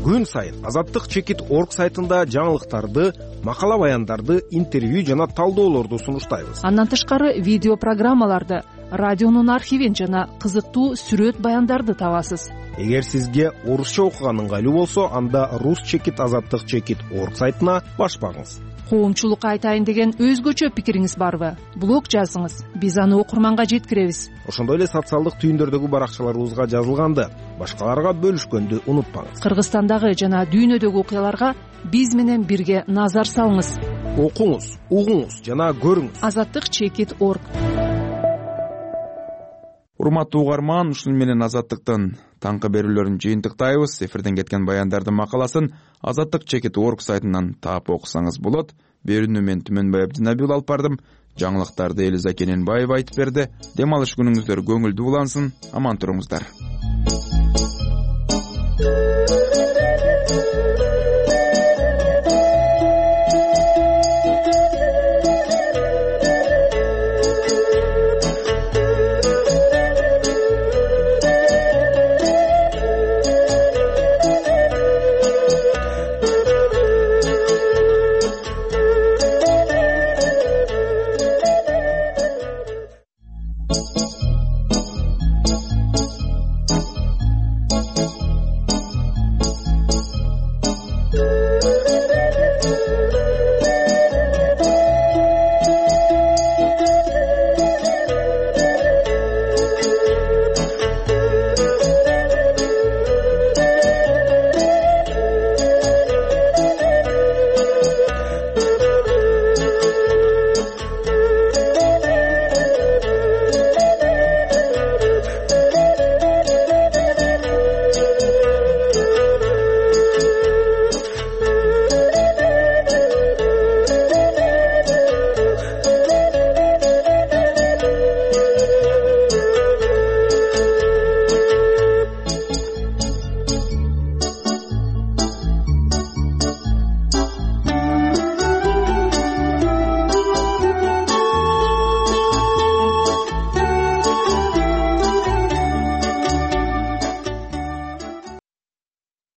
Күн сайын Азаттык чекит.org сайтында жаңылыктарды, макала баяндарды, интервью жана талдоолорду сунуштайбыз. Андан тышкары видео программаларды, радионун архивин жана кызыктуу сүрөт баяндарды табасыз. Эгер сизге орусча окуган ыңгайлуу болсо, анда Азаттык чекит.org сайтына баш багыңыз. Коомчулукка айтайын деген өзгөчө пикириңиз барбы? Блог жазыңыз, биз аны окурманга жеткиребиз. Ошондой эле социалдык түйүндөрдөгү баракчаларыбызга жазылганды, башкаларга бөлүшкөндү унутпаңыз. Кыргызстандагы жана дүйнөдөгү окуяларга биз менен бирге назар салыңыз. Окуңуз, угуңуз жана көрүңүз. Азаттык чекит.org. Урматтуу угарман, ушун менен Азаттыктын таңкы берүүлөрүн жыйынтыктайбыз. Эфирден кеткен баяндардын макаласын Азаттык чекит.org сайтынан таап окусаңыз болот. Берүүнү мен Түмөнбай Абдинабил алып бардым. Жаңылыктарды Элиза Кененбаева айтып берди. Дем алыш күнүңүздөр көңүлдүү улансын. Аман туруңуздар. Радио